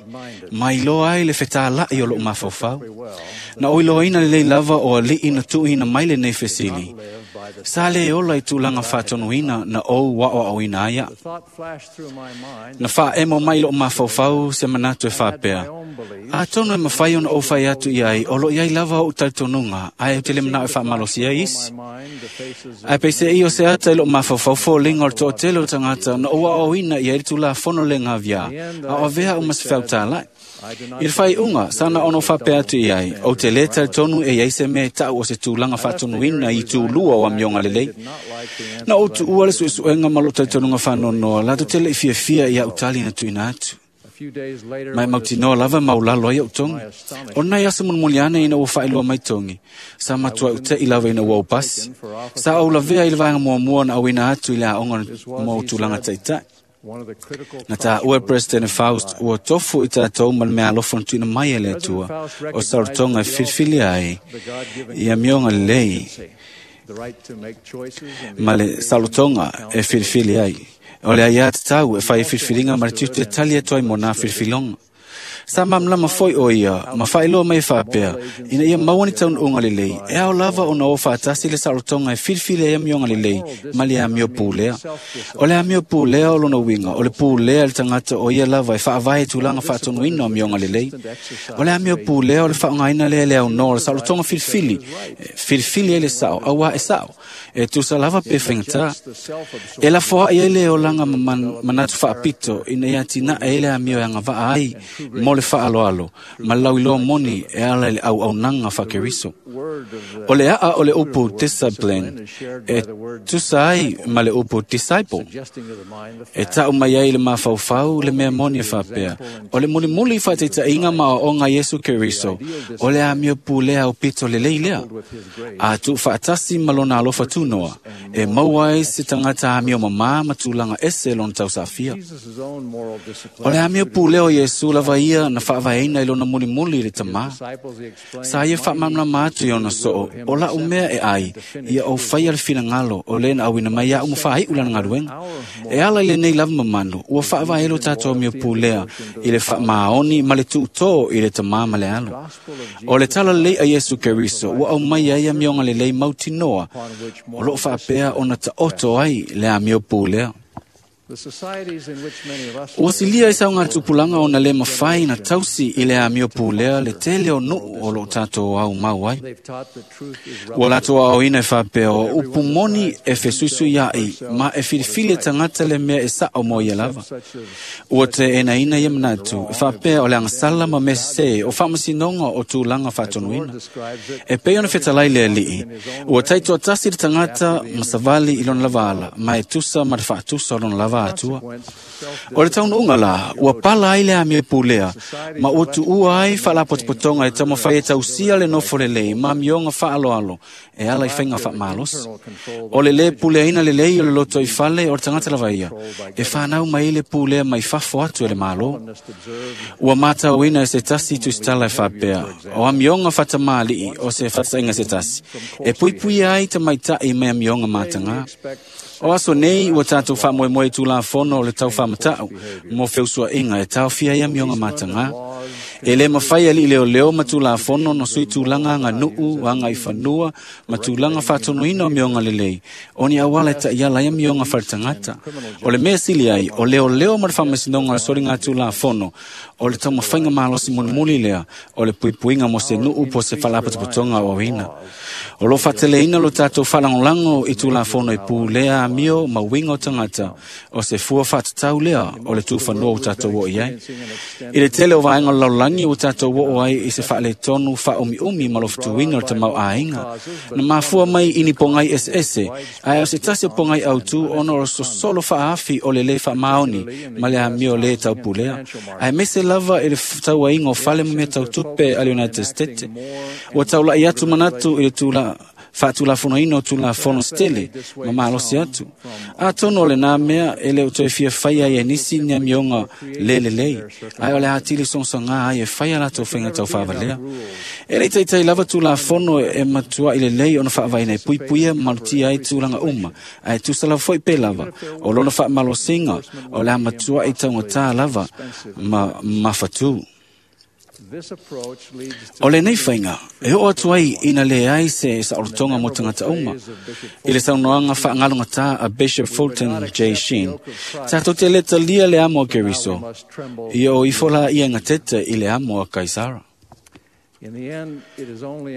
ma iloa ai le fetāla'i o lo'u mafaufau. Na ouiloaina lelei lava o ali'i na tuuina mai lenei fesili, sa lē ola i tulaga faatonuina na ou aʻoaʻoina ai aʻu. Na faaemo mai lo'u mafaufau se manatu e faapea, atonu e mafai ona ou fai atu i ai o lo i ai lava o'u talitonuga ae ou te le mana'o e faamalosi ai isi. Ae peiseai o se ata i lo'u mafaufau foliga o le toatele o tagata na ou aoaoina i ai le tulafono le gaviā, a o avea au ma se feautāla'i. I le faaiuga, sa na ona ou faapea atu i ai, ou te lē talitonu e i ai se mea e taʻu o se tulaga faatonuina i itulua o amioga lelei. Na ou tuua le suesuega ma lo'u talitonuga faanoanoa latou te leʻi fiafia i aʻu tali na tuuina atu. Ma e mautinoa lava maulalo ai o'u togi. O nai aso mulimuli ane ina ua faailoa mai togi, sa matuai ute'i lava ina ua ou pasi. Sa ou lavea i le vaega muamua na auina atu i le aoga mo tulaga taitai. Na tāua e President Faust ua tofu i tatou ma le meaalofa na tuuina mai e le Atua o saolotoga e filifilia ai i amioga lelei ma le saolotoga e filifili ai. O le aiā tatau e fai e filifiliga ma le tiute e tali atu ai mo nā filifiliga. Sa malamalama foi o ia ma faailoa mai e faapea, ina ia maua ni taunuuga lelei, e ao lava ona o faatasi le saolotoga e filifili ai amioga lelei ma le amio pulea. O le amio pulea o lona uiga, o le pulea i le tagata o ia lava e faavae i tulaga faatonuina o amioga lelei. O le amio pulea o le faaaogaina lea e le aunoa o le saolotoga filifili, filifili ai le sao, auā e sao, e tusa lava pe faigata. E lafoa'i ai le olaga ma manatu faapito ina ia atinae ai le amio e agavaa ai mo le faaloalo ma le lauiloa moni e ala i le auaunaga faakeriso. O le a'a o le upu discipline e tusa ai ma le upu disciple. E ta'u mai ai le mafaufau le mea moni e faapea, o le mulimuli faataitaiga ma aoaoga Iesu Keriso, o le amio pulea aupito lelei lea. A tuufaatasi ma lona alofa tunoa, e maua ai se tagata amio mamā ma tulaga ese lona tausafia. O le amio pulea o Iesu lava ia na faavaeina i lona mulimuli i le tamā. Sa ia faamalamalama atu i ona soo, o la'u mea e ai, ia ou faia le finagalo o lē na auina mai a'u ma faai'u lana galuega. E ala i lenei lava mamanu, ua faavae lo tatou amio pulea i le faamaoni ma le tuutō i le tamā ma le alo. O le talalelei a Iesu Keriso ua aumai ai amioga lelei mautinoa, o loo faapea ona taoto ai le amio pulea. Ua silia i saugatupulaga ona lē mafai na tausi i le amio pulea le tele o nuʻu o loo tatou aumau ai. Ua latou aoaoina e faapea o upu moni e fesuisuiaʻi ma e filifili e tagata le mea e saʻo mo ia lava. Ua teʻenaina ia manatu e faapea o le agasala ma mea sesē o faamasinoga o tulaga faatonuina. E pei ona fetalai le Aliʻi, ua taitoatasi le tagata ma savali i lona lava ala, ma e tusa ma le faatusa o lona lava atua. O le taunuuga lā, ua pala ai le amio pulea, ma ua tuua ai faalapotopotoga e taumafai e tausia le nofo lelei ma amioga faaaloalo e ala i faiga faamalosi. O le lē puleaina lelei o le loto i fale o le tagata lava ia, e fanau mai le pulea mai fafo atu e le Malo. Ua matauina e se tasi tusitala e faapea, o amioga faatamāliʻi o se faataʻiga se tasi, e puipuia ai tamaitaʻi mai amioga matagā. O aso nei ua tatou faamoemoe i tulafono o le taufaamata'u mo feusuaʻiga e taofia ai amioga matagā. E lē mafai aliʻi leoleo ma tulafono no sui tulaga aganuʻu, agaifanua ma tulaga faatonuina o amioga lelei, o ni auala e taʻiala ai amioga faletagata. O le mea sili ai, o leoleo ma le faamasinoga o le soliga tulafono, o le taumafaiga malosi mulimuli lea o le puipuiga mo se nuʻu po o se faalapotopotoga aoaoina. O loo faateleina lo tatou faalagolago i tulafono e pulea amio ma uiga o tagata, o se fua faatatau lea o le tuufanua ua tatou oo i ai. I le tele o vaega o le lalolagi ua tatou oo ai i se faaletonu faaumiumi ma lofutuina o le tamauaiga, na mafua mai i ni pogai eseese, ae o se tasi o pogai autū ona o le sosolo faaafi o le lē faamaoni ma le amio lē taupulea, ae mese lava i le tauaiga o fale ma mea tautupe a le United States. Ua taulaʻi atu manatu i le tula faatulafonoina o tulafono se tele ma malosi atu. Atonu o lenā mea e le o toe fia faia ai e nisi ni amioga lē lelei, ae o le atili sogasogā ai e fai a latou faiga taufaavalea. E le i taitai lava tulafono e matuaʻi lelei ona faavaena e puipuia ma malutia ai tulaga uma, ae tusa lava foi pe lava o lona faamalosiga o le a matuaʻi taugatā lava ma mafatū. O lenei faiga, e oo atu ai ina leai se saolotoga mo tagata uma. I le saunoaga faagalogatā a Bishop Fulton J. Sheen, tatou te lē talia le amo a Keriso, ia o ifo la ia gatete i le amo a Kaisara.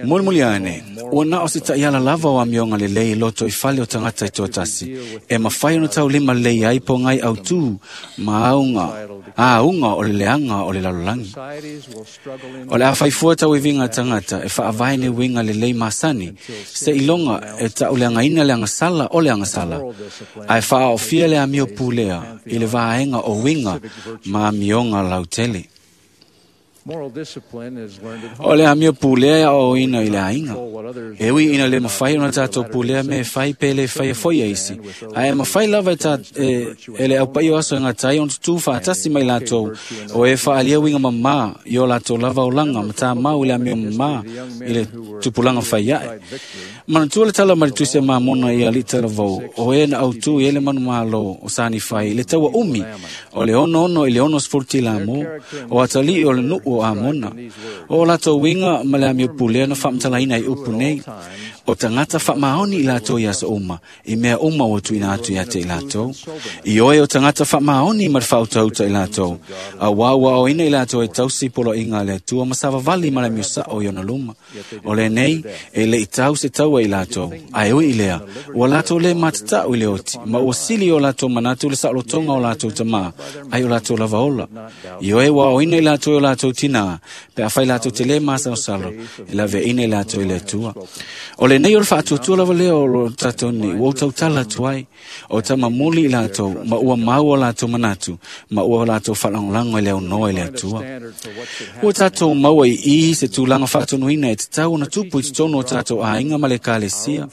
Mulimuli ane, ua na o se taʻiala lava o amioga lelei i loto i fale o tagata e toatasi, e mafai ona taulima lelei ai pogai autū ma auga, āuga o le leaga o le lalolagi. O le a faifua tauiviga a tagata e faavae ni uiga lelei masani, seiloga e taʻuleagaina le agasala o le agasala, ae faaaofia le amio pulea i le vaega o uiga ma amioga lautele. O le amio pulea e aoaoina i le aiga. E ui ina lē mafai ona tatou pulea mea e fai pe lē faia foi e isi, ae e mafai lava e le aupaia o aso e gata ai ona tutū faatasi mai latou o e faaalia uiga mamā i o latou lava olaga ma tamau i le amio mamā i le tupulaga fai aʻe. Manatua le tala mai le Tusi a Mamona i aliʻi talavou, o e na autū i ai le manumālō o Sanifai i le taua umi o le 66 i le 60 tilamō, o atalii o le nuʻu o Amona. O latou uiga ma le amio pulea na faamatalaina ai upu nei, o tagata faamaoni i latou i aso uma, i mea uma ua tuuina atu ia te i latou. I oe o tagata faamaoni ma le faautauta i latou, auā ua aoaoina i latou e tausi poloaiga a le Atua ma savavali ma le amio saʻo i ona luma. O lenei, e leʻi tau se taua i latou, ae ui i lea, ua latou lē matataʻu i le oti, ma ua sili o latou manatu le saolotoga o latou tamā, ai o latou lava ola. I oe ua aoaoina i latou e o latou tinā, pe afai latou te lē masalosalo, e laveaina i latou i le Atua. O lenei o le faatuatua lava lea o lo tatou nei, ua ou tautala atu ai, o tamamuli i latou, ma ua mau o latou manatu, ma ua latou faalagolago i le aunoa i le Atua. Ua tatou maua i i se tulaga faatonuina e tatau ona tupu i totonu o tatou aiga ma le ekalesia.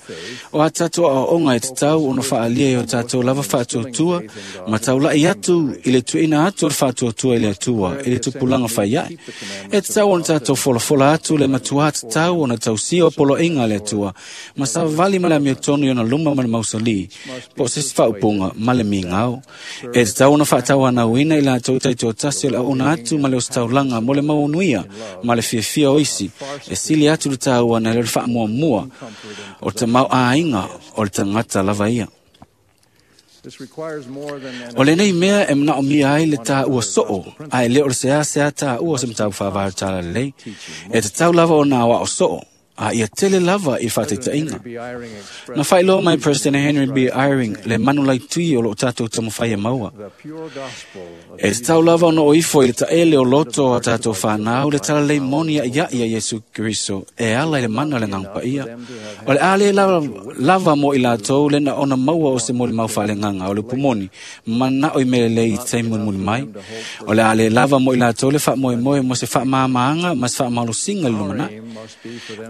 O a tatou aoaoga e tatau ona faaalia i o tatou lava faatuatua, ma taulaʻi atu i le tuuina atu o le faatuatua i le Atua i le tupulaga fai aʻe. E tatau ona tatou folafola atu le matuā tatau ona tausia o poloaiga a le Atua, ma savavali ma le amiotonu i ona luma ma le mausolī, po o se isi faaupuga ma le migao. E tatau ona faatauanauina i latou taitoatasi o le auauna atu ma le ositaulaga mo le mauanuia ma le fiafia o isi, e sili atu le taua nai lo le faamuamua o le tamauaiga o le tagata lava ia. O lenei mea e manaomia ai le tāua soo, a e le o le seasea tāua se mataupu faavae o le Talalelei. E tatau lava ona aoao soo, a ia tele lava i faataitaiga. Na faailoa mai President Henry B. Eyring le manulaitui o loo tatou taumafai e maua. E tatau lava ona o ifo i le taele o loto a tatou whanau le talalei moni a'ia'i a Iesu Keriso e ala i le mana o le Agaga Paia. O le a le lava mo i latou le na ona maua o se molimau faaleagaga o le upu moni mana'o i mea lelei i taimi mulimuli mai. O le a le lava mo i latou le faamoemoe mo se faamāmāga ma se faamalosiga i le lumanai.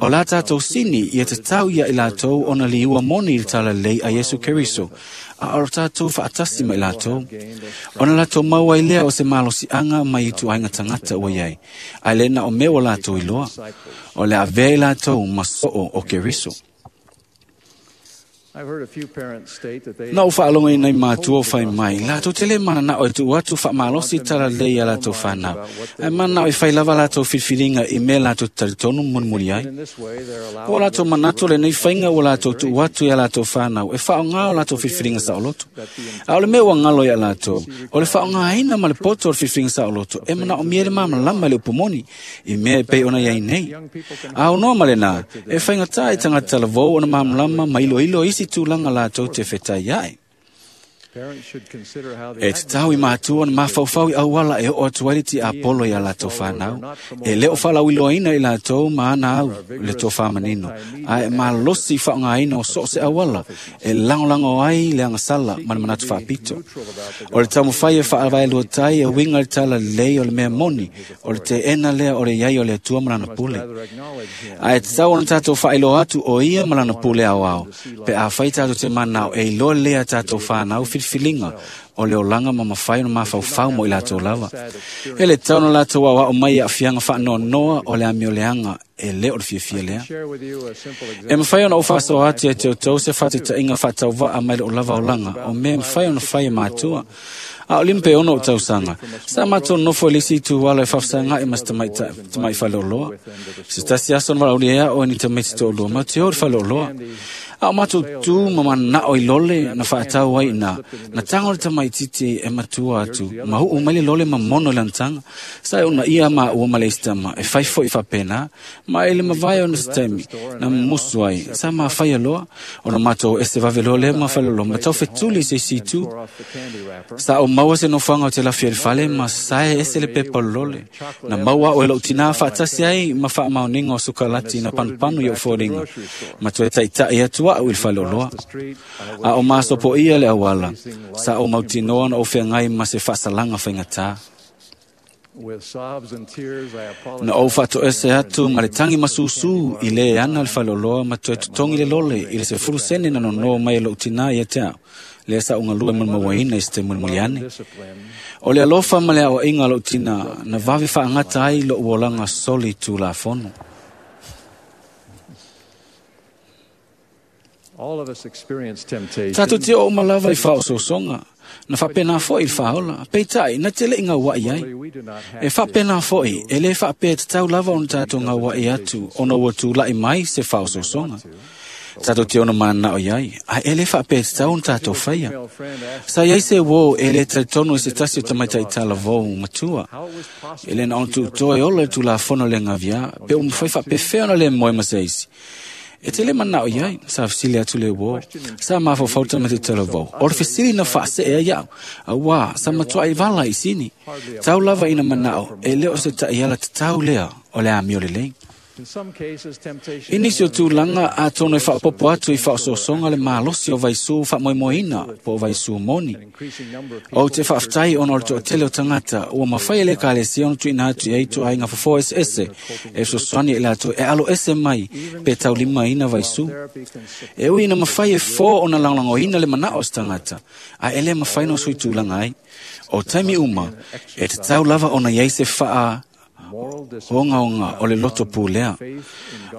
O la tātou sini ia tatau ia i latou ona liua moni i le talalelei a Iesu Keriso, a o tātou faatasi ma i latou. Ona latou maua ai lea o se malosiaga mai i ituaiga tagata ua iai, ae le na o mea ua latou iloa. O le avea i latou ma soo o Keriso. Na ou faalogoina i matua o fai mai, latou te lē mananao e tuu atu faamalosi talalelei ia latou fanau, ae mananao e fai lava latou filifiliga i mea latou te talitonu mulimuli ai. Ua latou manatu lenei faiga ua latou tuu atu ia latou fanau e faaaogā o latou filifiliga saoloto. A o le mea ua galo ia latou, o le faaaogāina ma le poto o le filifiliga saoloto e manaomia le malamalama i le upu moni, i mea e pei ona iai nei. A ono ma lenā, e faigata i tagata talavou ona malamalama ma iloilo isi tulaga latou te fetai ai. E tatau i matua ona mafaufau i auala e oo atu ai le tiapolo ia latou fanau. E le o faalauiloaina i latou ma ana au le tofāmanino, ae e malosi i faaaogāina o so o se auala e lagolago ai le agasala ma le manatu faapito. O le taumafai e faavaeluatai e uiga i le talalelei o le mea moni, o le teena lea o le iai o le Atua ma lana pule. Ae tatau ona tatou faailoa atu o ia ma lana pule aoao, pe afai tatou te manao e iloa lelei a tatou fanau filifiliga o le olaga ma mafai ona mafaufau mo i latou lava. E le tatau ona latou aoao mai i aafiaga faanoanoa o le amioleaga e le o le fiafia lea. E mafai ona ou faasoa atu ia te outou se faataitaiga faatauvaa mai lou lava olaga o mea e mafai ona fai e matua. A o 56 ou tausaga, sa matou nofo i le isi ituala e faafesaga'i ma se tama'i faleoloa. Se tasi aso na valaaulia ai a'u e ni tamaiti to'alua matou te o i le faleoloa. A o matou tu ma mana'o i lole na faatau ai iinā, na tago le tamaititi e matua atu, ma uu mai le lole ma mono i lana taga. Sa e uunaia maua ma le isi tama e fai fo'i faapena, ma i le mavae ona se taimi na mumusu ai, sa mafaia loa, ona matou ese vave loa lea ma faleoloa ma taufetuli i se isi itu. Sa ou maua se nofoaga o te lafi ai le fale ma sae ese le pepa o le lole. Na maua a'u e lo'u tinā faatasi ai ma faamaoniga o sukalati na panupanu i o'u foliga, ma toe taita'i atu a'u i le faleoloa. A o masopoia le auala, sa ou mautinoa na ou feagai ma se faasalaga faigatā. Na ou faatoese atu ma le tagi masusū i lē ana le faleoloa ma toe totogi le lole i le 10 sene na nono mai e lo'u tinā ia te a'u, lea sa ou galue malimauaina i se taimi mulimuli ane. O le alofa ma le aoa'iga a lo'u tinā na vave faagata ai lo'u olaga soli tulafono. Tatou te oo uma lava i faaosoosoga, na faapena fo'i i le faaola, peitai na te le'i gaua'i ai. E faapena fo'i, e lē faapea e tatau lava ona tatou gaua'i atu ona ua tula'i mai se faaosoosoga. Tatou te ono mananao iai, ae e lē faapea e tatau ona tatou faia. Sa iai se uō e lē talitonu i se tasi o tamaita'i talavou matua. E lē na ona tuutoa e ola i le tulafono le gaviā, pe ua mafai faapefea ona lē moe ma se isi. E te le manao iai, sa fesili atu le uō. Sa mafaufau le tamaitiiti talavou. O le fesili na faasee ai a'u, auā sa matua'i vala i sini. Tau lava ina manao, e le o se ta'iala tatau lea o le amio lelei. I nisi o tulaga, atonu e faaopoopo atu i faaosoosoga le malosi o vaisū faamoemoeina po o vaisū moni. Ou te faafetai ona o le toatele o tagata ua mafai e le Ekalesia ona tuuina atu i ai ituaiga fofo eseese e fesoasoani i latou e aloese mai pe taulimaina vaisū. E ui ina mafai e fō ona lagolagoina le manao o se tagata, ae e lē mafai ona sui tulaga ai. O taimi uma, e tatau lava ona iai se faa Ogaoga o le loto pulea.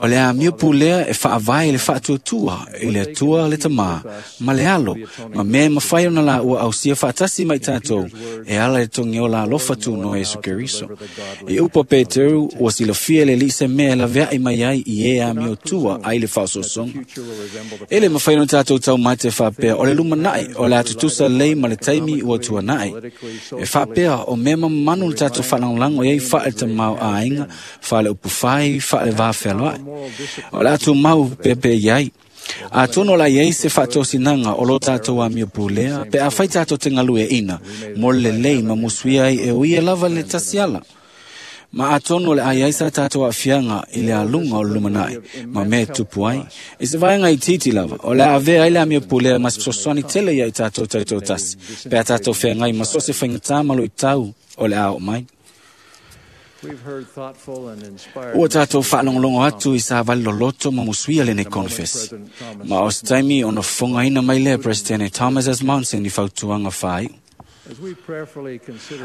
O le amio pulea e faavae i le faatuatua i le Atua le Tamā ma le Alo, ma mea e mafai ona laua ausia faatasi ma i tatou e ala i le togiola alofa tunoa Iesu Keriso. I upu a Peteru, ua silafia e le Alii se mea e laveai mai ai i e amio tua ai le faaosoosoga. E le mafai ona tatou taumate faapea o le lumanai o le a tutusa lelei ma le taimi ua tuanai. E faapea o mea mamanu le tatou faalagolago i ai faale tamāo'aiga, faaleupufai, faalevā fealoa'i. O le a tumau peapea i ai. Atonu o la i ai se faatosinaga o lo tatou amio pulea pe afai tatou te galueaʻina mo le lelei ma musuia ai e o ia lava le tasi ala. Ma atonu o le a iai sa tatou aafiaga i le aluga o le lumanai ma mea e tupu ai. I se vaega itiiti lava, o le a avea ai le amio pulea ma se fesoasoani tele ia i tatou taitoatasi, pe a tatou feagai ma so o se faigata ma luitau o le a oo mai. Ua tatou faalogologo atu i savali loloto ma musuia lenei konefesi. Ma o se taimi ona fofogaina mai lea Peresetene Thomas S. Monson i fautuaga faaiu.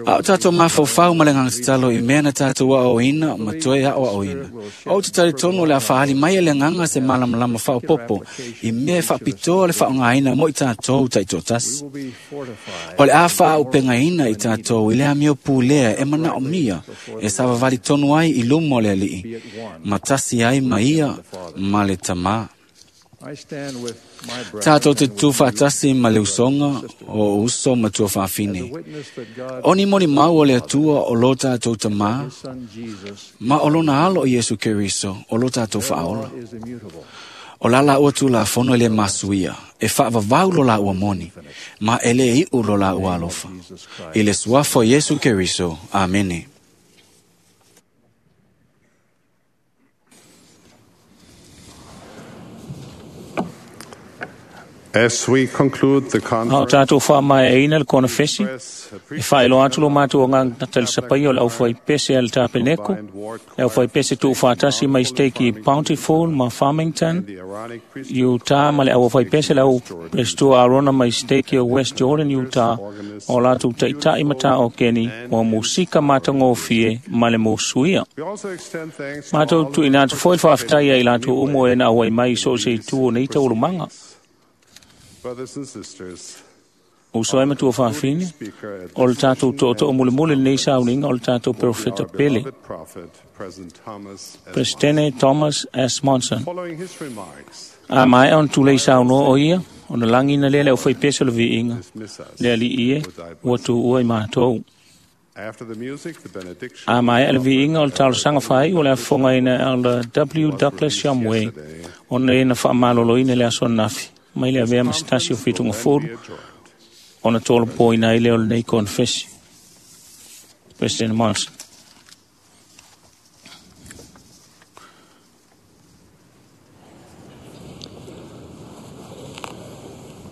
A o tatou mafaufau ma le agaga tatalo i mea na tatou aoaoina ma toe aoaoina. Ou te talitonu o le a faaali mai e le agaga se malamalama faaopoopo i mea e faapitoa le faaaogaina mo i tatou taitoatasi. O le a faaaupegaina i tatou i le amio pulea e manaomia e savavali tonu ai i luma o le Alii, ma tasi ai ma ia ma le Tamā. Tatou te tutū faatasi ma le usoga o uso ma tuafafine. O ni molimau o le Atua o lo tatou Tamā, ma o lona Alo o Iesu Keriso o lo tatou Faaola. O la laua Tulafono e le masuia, e faavavau lo laua moni, ma e le iʻu lo laua alofa. I le suafa o Iesu Keriso. Amene. As we conclude the A o conference, tatou faamaeaina le konefesi, e faailoa atu lo matou agaga talisapaia o le aufaipese a le Tapeneko, le aufaipese tuufaatasi mai steki Bountiful ma Farmington, Utah, ma le aufaipese le au Pestua Arona mai steki o West Jordan, Utah, o latou taita'i ma taokeni ua musika matagofie ma le musuia. we also extend thanks to Matou all tuuina atu foi le faafetai ai latou uma o e na auai mai i so o se itu o nei taualumaga. brothers and sisters. Uso ai matua faafine, o le tatou to'oto'o mulimuli lenei sauniga o le tatou perofeta Our pele, beloved prophet, President Thomas S. Presidente Thomas S. Monson. Following his remarks, A maea ona tulei saunoa o ia, ona lagina lea le aufaipese o le viiga, dismiss us. le Alii e, ua tuua i matou. After the music, the benediction A maea le viiga o le talosaga faaiu o le afofogaina e Elder W. Douglas Shumway, ona e na faamaloloina i le aso ananafi, mai le avea ma se tasi o fitugafulu, ona tolopoina ai lea o lenei konefesi. President Monson.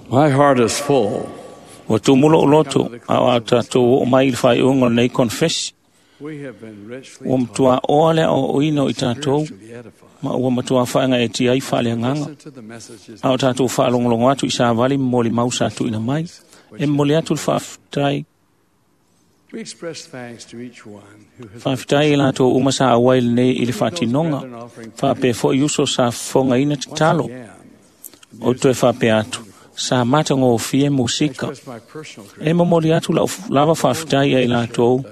My heart is full. Ua tumu lou loto, a o a tatou oo mai i le faaiuga o lenei konefesi. We have been richly Ua matua oa le aoaoina o i tatou, ma ua matua faagaeetia ai faaleagaga. to the messages A o tatou faalogologo atu i savali ma molimau sa tuuina mai. E momoli atu le faafetai, We express thanks to each one who has faafetai i latou uma sa auai lenei i le faatinoga, faapea foi uso sa fofogaina tatalo. O toe faapea atu, sa matagofie musika. expressed my personal E momoli atu lau lava faafetai ia i latou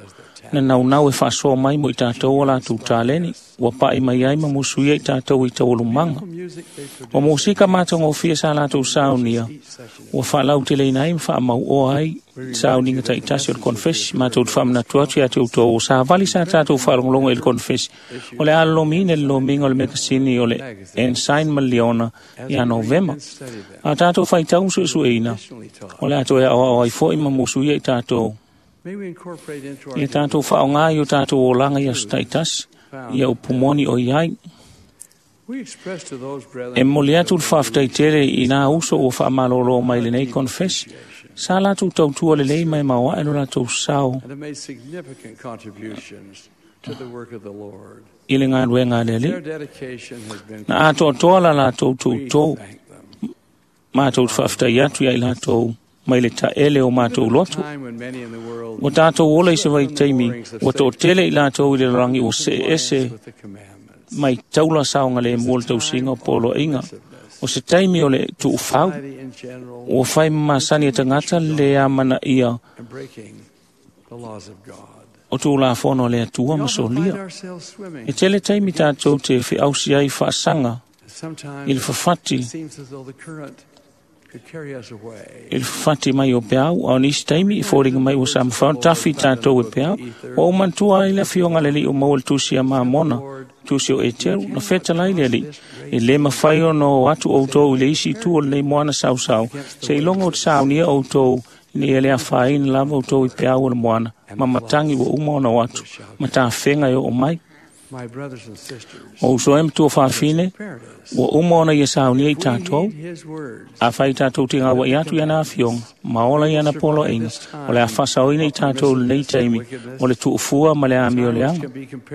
na naunau e faasoa mai mo i tatou o latou taleni, ua pa'i mai ai ma musuia i tatou i taualumaga. music they O musika matagofie sa latou saunia, ua faalauteleina ai ma faamauoa ai sauniga taitasi o le konefesi. Matou te faamanatu atu ia te outou o savali sa tatou faalogologo i le konefesi. O le a lolomiina le lomiga o le mekasini o le Ensign ma le Liona ia Novema. A tatou faitau ma suesueina, o le a toe aoao ai foi ma musuia i tatou. May we incorporate into our Ia tatou faaaoga i o tatou olaga i aso taitasi, ia upu moni o i ai. We express to those E brethren momoli atu le faafetai tele i nā uso ua faamalolo mai lenei konefesi. Sa latou tautua lelei mai maoae lo latou sao and have made significant contributions to the work of the Lord. i le galuega a le Their Alii. dedication has been Na atoatoa la latou toutou, matou te faafetai atu ia i latou mai le taele o matou loto. Ua tatou ola i se vaitaimi, ua toatele i latou i le lalolagi ua seese mai taula saogalemu o le tausiga o poloaiga. O se taimi o le tuufau, ua fai ma masani e tagata le amanaia o tulafono a le Atua ma solia. E tele taimi tatou te feausi ai faasaga i le fafati mai o peau, a o nisi taimi i foliga mai ua sa mafai ona tafi tatou e peau. Ua ou manatua ai le afioga a le Alii o maua le tusi a Mamona, tusi o Eteru, na fetalai le Alii, e lē mafai ona o atu outou i le isi itu o lenei moana sausau, seiloga o te saunia outou ina ia le afaina lava outou i peau o le moana, ma matagi ua uma ona o atu, ma tafega e oo mai. O uso e matua faafine, ua uma ona ia saunia i tatou, afai tatou te gaua'i atu i ana afioga, ma ola i ana poloaiga, o le a faasaoina i tatou lenei taimi, o le tuufua ma le amioleaga,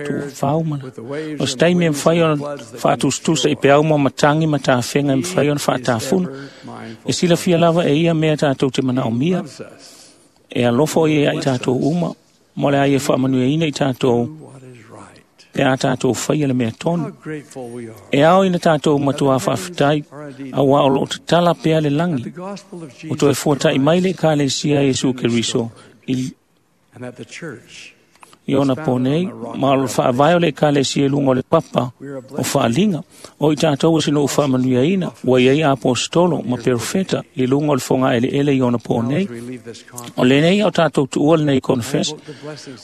tuufau ma le. O se taimi e mafai ona faatusatusa i peau ma matagi ma tafega e mafai ona faatafuna, e silafia lava e ia mea tatou te manaomia, e alofa o ia i tatou uma, ma o le a ia faamanuiaina i tatou, pe a tatou faia le mea tonu. E ao ina tatou matuā faafetai, auā o loo tatala pea le lagi, o toe fuata'i mai le Ekalesia a Iesu Keriso i ona po nei, ma o le faavae o le Ekalesia i luga o le papa o faaliga. O i tatou o se nuu faamanuiaina, ua iai aposetolo ma perofeta i luga o le fogaeleele i ona po nei. O lenei au tatou tuua lenei konefesi,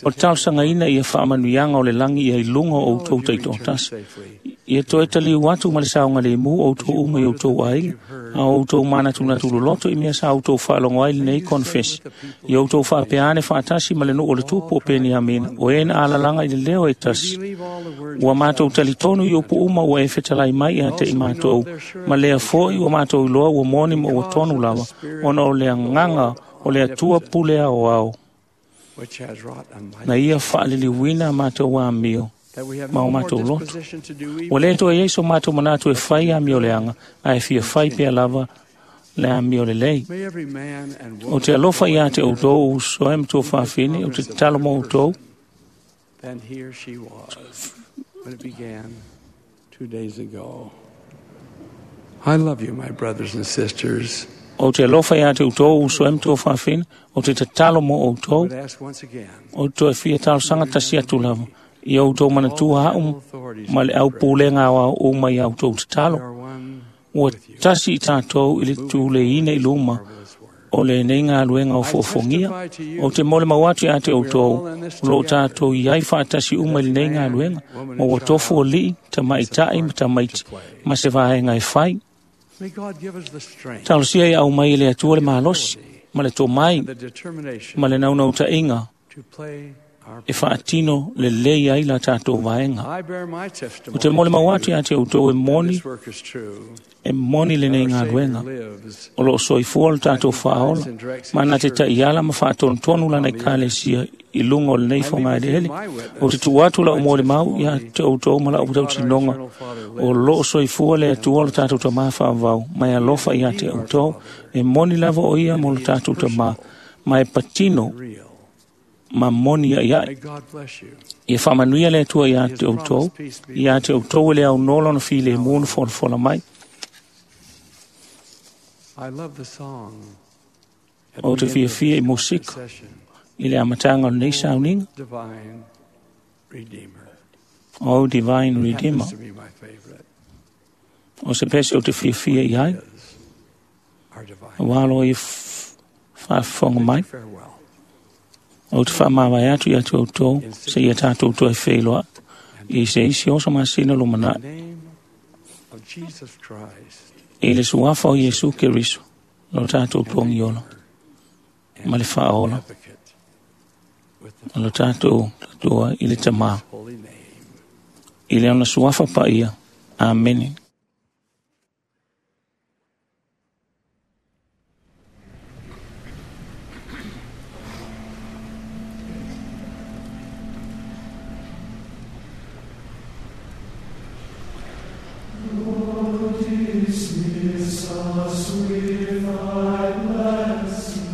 o le talosagaina ia faamanuiaga o le lagi ia i luga o outou taitoatasi. Ia toe taliu atu ma le saogalemu outou uma i outou aiga, a o outou manatunatu loloto i mea sa outou faalogo ai lenei konefesi. Ia outou faapea ane faatasi ma le nuu o le tupu o Peniamina, o e na alalaga i le leo e tasi. Ua matou talitonu i upu uma ua e fetalai mai ia te i matou, ma lea foi ua matou iloa ua moni ma ua tonu lava, ona o le agaga o le Atua pule aoao, na ia faaliliuina a matou amio ma o matou loto. Ua lē toe iai so matou manatu e fai amioleaga, ae fia fai pea lava le amio lelei. O te alofa iā te outou uso e matua faafine, o te tatalo mo outou. Than he or she was when it began 2 days ago. I love you, my brothers and sisters. O te alofa iā te outou uso e matua faafine, o te tatalo mo outou. I would ask once again O toe fia talosaga tasi atu lava, ia outou manatua au ma le aupulega aoao uma ia outou tatalo. Ua tasi i tatou i le tuleina i luma o lenei galuega o foofogia. O te molemau atu iā te outou, o loo tatou iai faatasi uma i lenei galuega, ma ua tofu alii, tamaita'i ma tamaiti, ma se vaega e fai. May God give us the strength Talosia ia aumai e le Atua le malosi, ma le tomai, the determination ma le naunautaiga to play our e faatino lelei ai la tatou vaega. I bear my O te testimony molemau atu iā te outou e moni, this work is true. e moni lenei galuega. O loo soifua le tatou faaola, ma na te ta'iala ma faatonutonu lana ekalesia i luga o lenei fogaeleele. O te tuu atu la'u molimau ia te outou ma la'u tautinoga, o loo soifua le Atua o le tatou Tamā faavavau, ma e alofa iā te outou, e moni lava o ia mo le tatou Tamā, ma e patino ma moni a'ia'i. May God bless you. Ia faamanuia le Atua iā te outou, iā te outou e le aunoa lona filemu na folafola mai. I love the song. at O the te end of fiafia i this musika session. i le amataga o lenei sauniga, Divine Redeemer. O Divine Redeemer. Happens to be my favorite. O se pese o te fiafia i ai, Our divine. auā loa ia faafofoga mai. Farewell. O te faamavae atu ia te outou, seia tatou toe feiloa, i se isi oso masina lumana'i. Name of Jesus Christ. I le suafa o Iesu Keriso, lo tatou togiola, ma le faaola, Advocate. o lo tatou tatua i le Tamā. Holy name. I le ona suafa paia. Amene. Lord, dismiss us with thy blessing.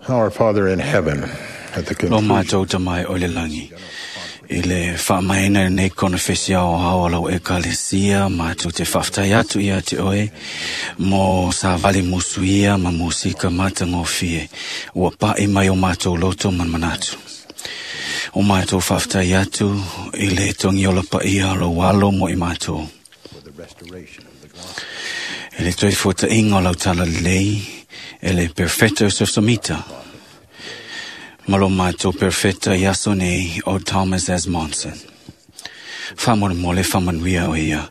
Our Father in heaven, at the Lo conclusion mātou tamai o le langi. I le whaamaina nei konofesi ao hao lau ekalesia, mātou te whaftai atu ia te oe, mo sa vale musuia ma musika mata ngofie, ua pae mai o mātou loto manmanatu. O mātou whaftai atu i le tongi o la paia lo walo mo i mātou. E le toi fota inga o lau tala lei, e le perfetto sofsomita. Malo mātou perfetta i aso nei o Thomas S. Monson. Whamon mo le whamanuia o ia,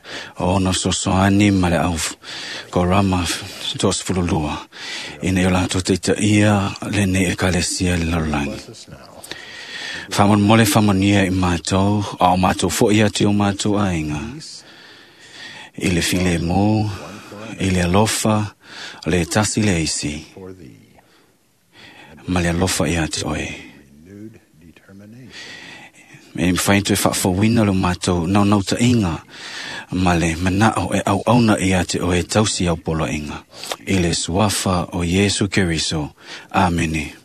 o ono sosoani ma le au korama tos fululua. Ina i o lātou teita ia le nei e kalesia le lalolagi. Whamon mo le whamanuia i mātou, a o mātou fo ia te o mātou ainga. I le file mō, i le alofa, le tasi le isi. Ma le alofa ia te oe. E mwhai toe whaafawina lo mātou nau nau ta inga, ma le manao e au auna ia te oe tausi au polo inga. I le suafa o Yesu Keriso. Amene.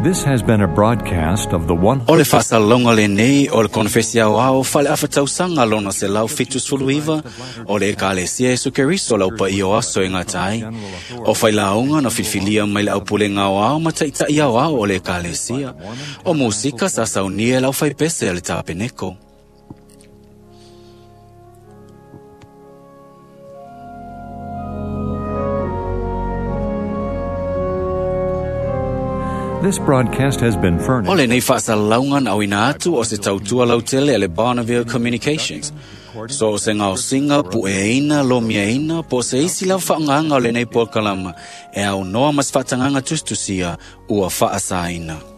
This has been a broadcast of the one. O le whaasalonga le nei o le konfesi au ao whale awhatausanga lona se lau fitu suluiva o le ekalesia Yesu Keriso lau pa i o aso e ngā tai. O whai launga na filfilia mai le au pule ngā ao ma taitai au ao o le ekalesia. O musika sa saunia lau whai pese le tapeneko. This broadcast has been furnished. O le nei whaasalaunga na awina atu o se tautua lautele a le Bonneville Communications. So o se ngao singa pu e eina, lo mia eina, po se isi lau whaanganga o le nei pōkalama e au noa mas whaatanganga tustusia ua whaasaina.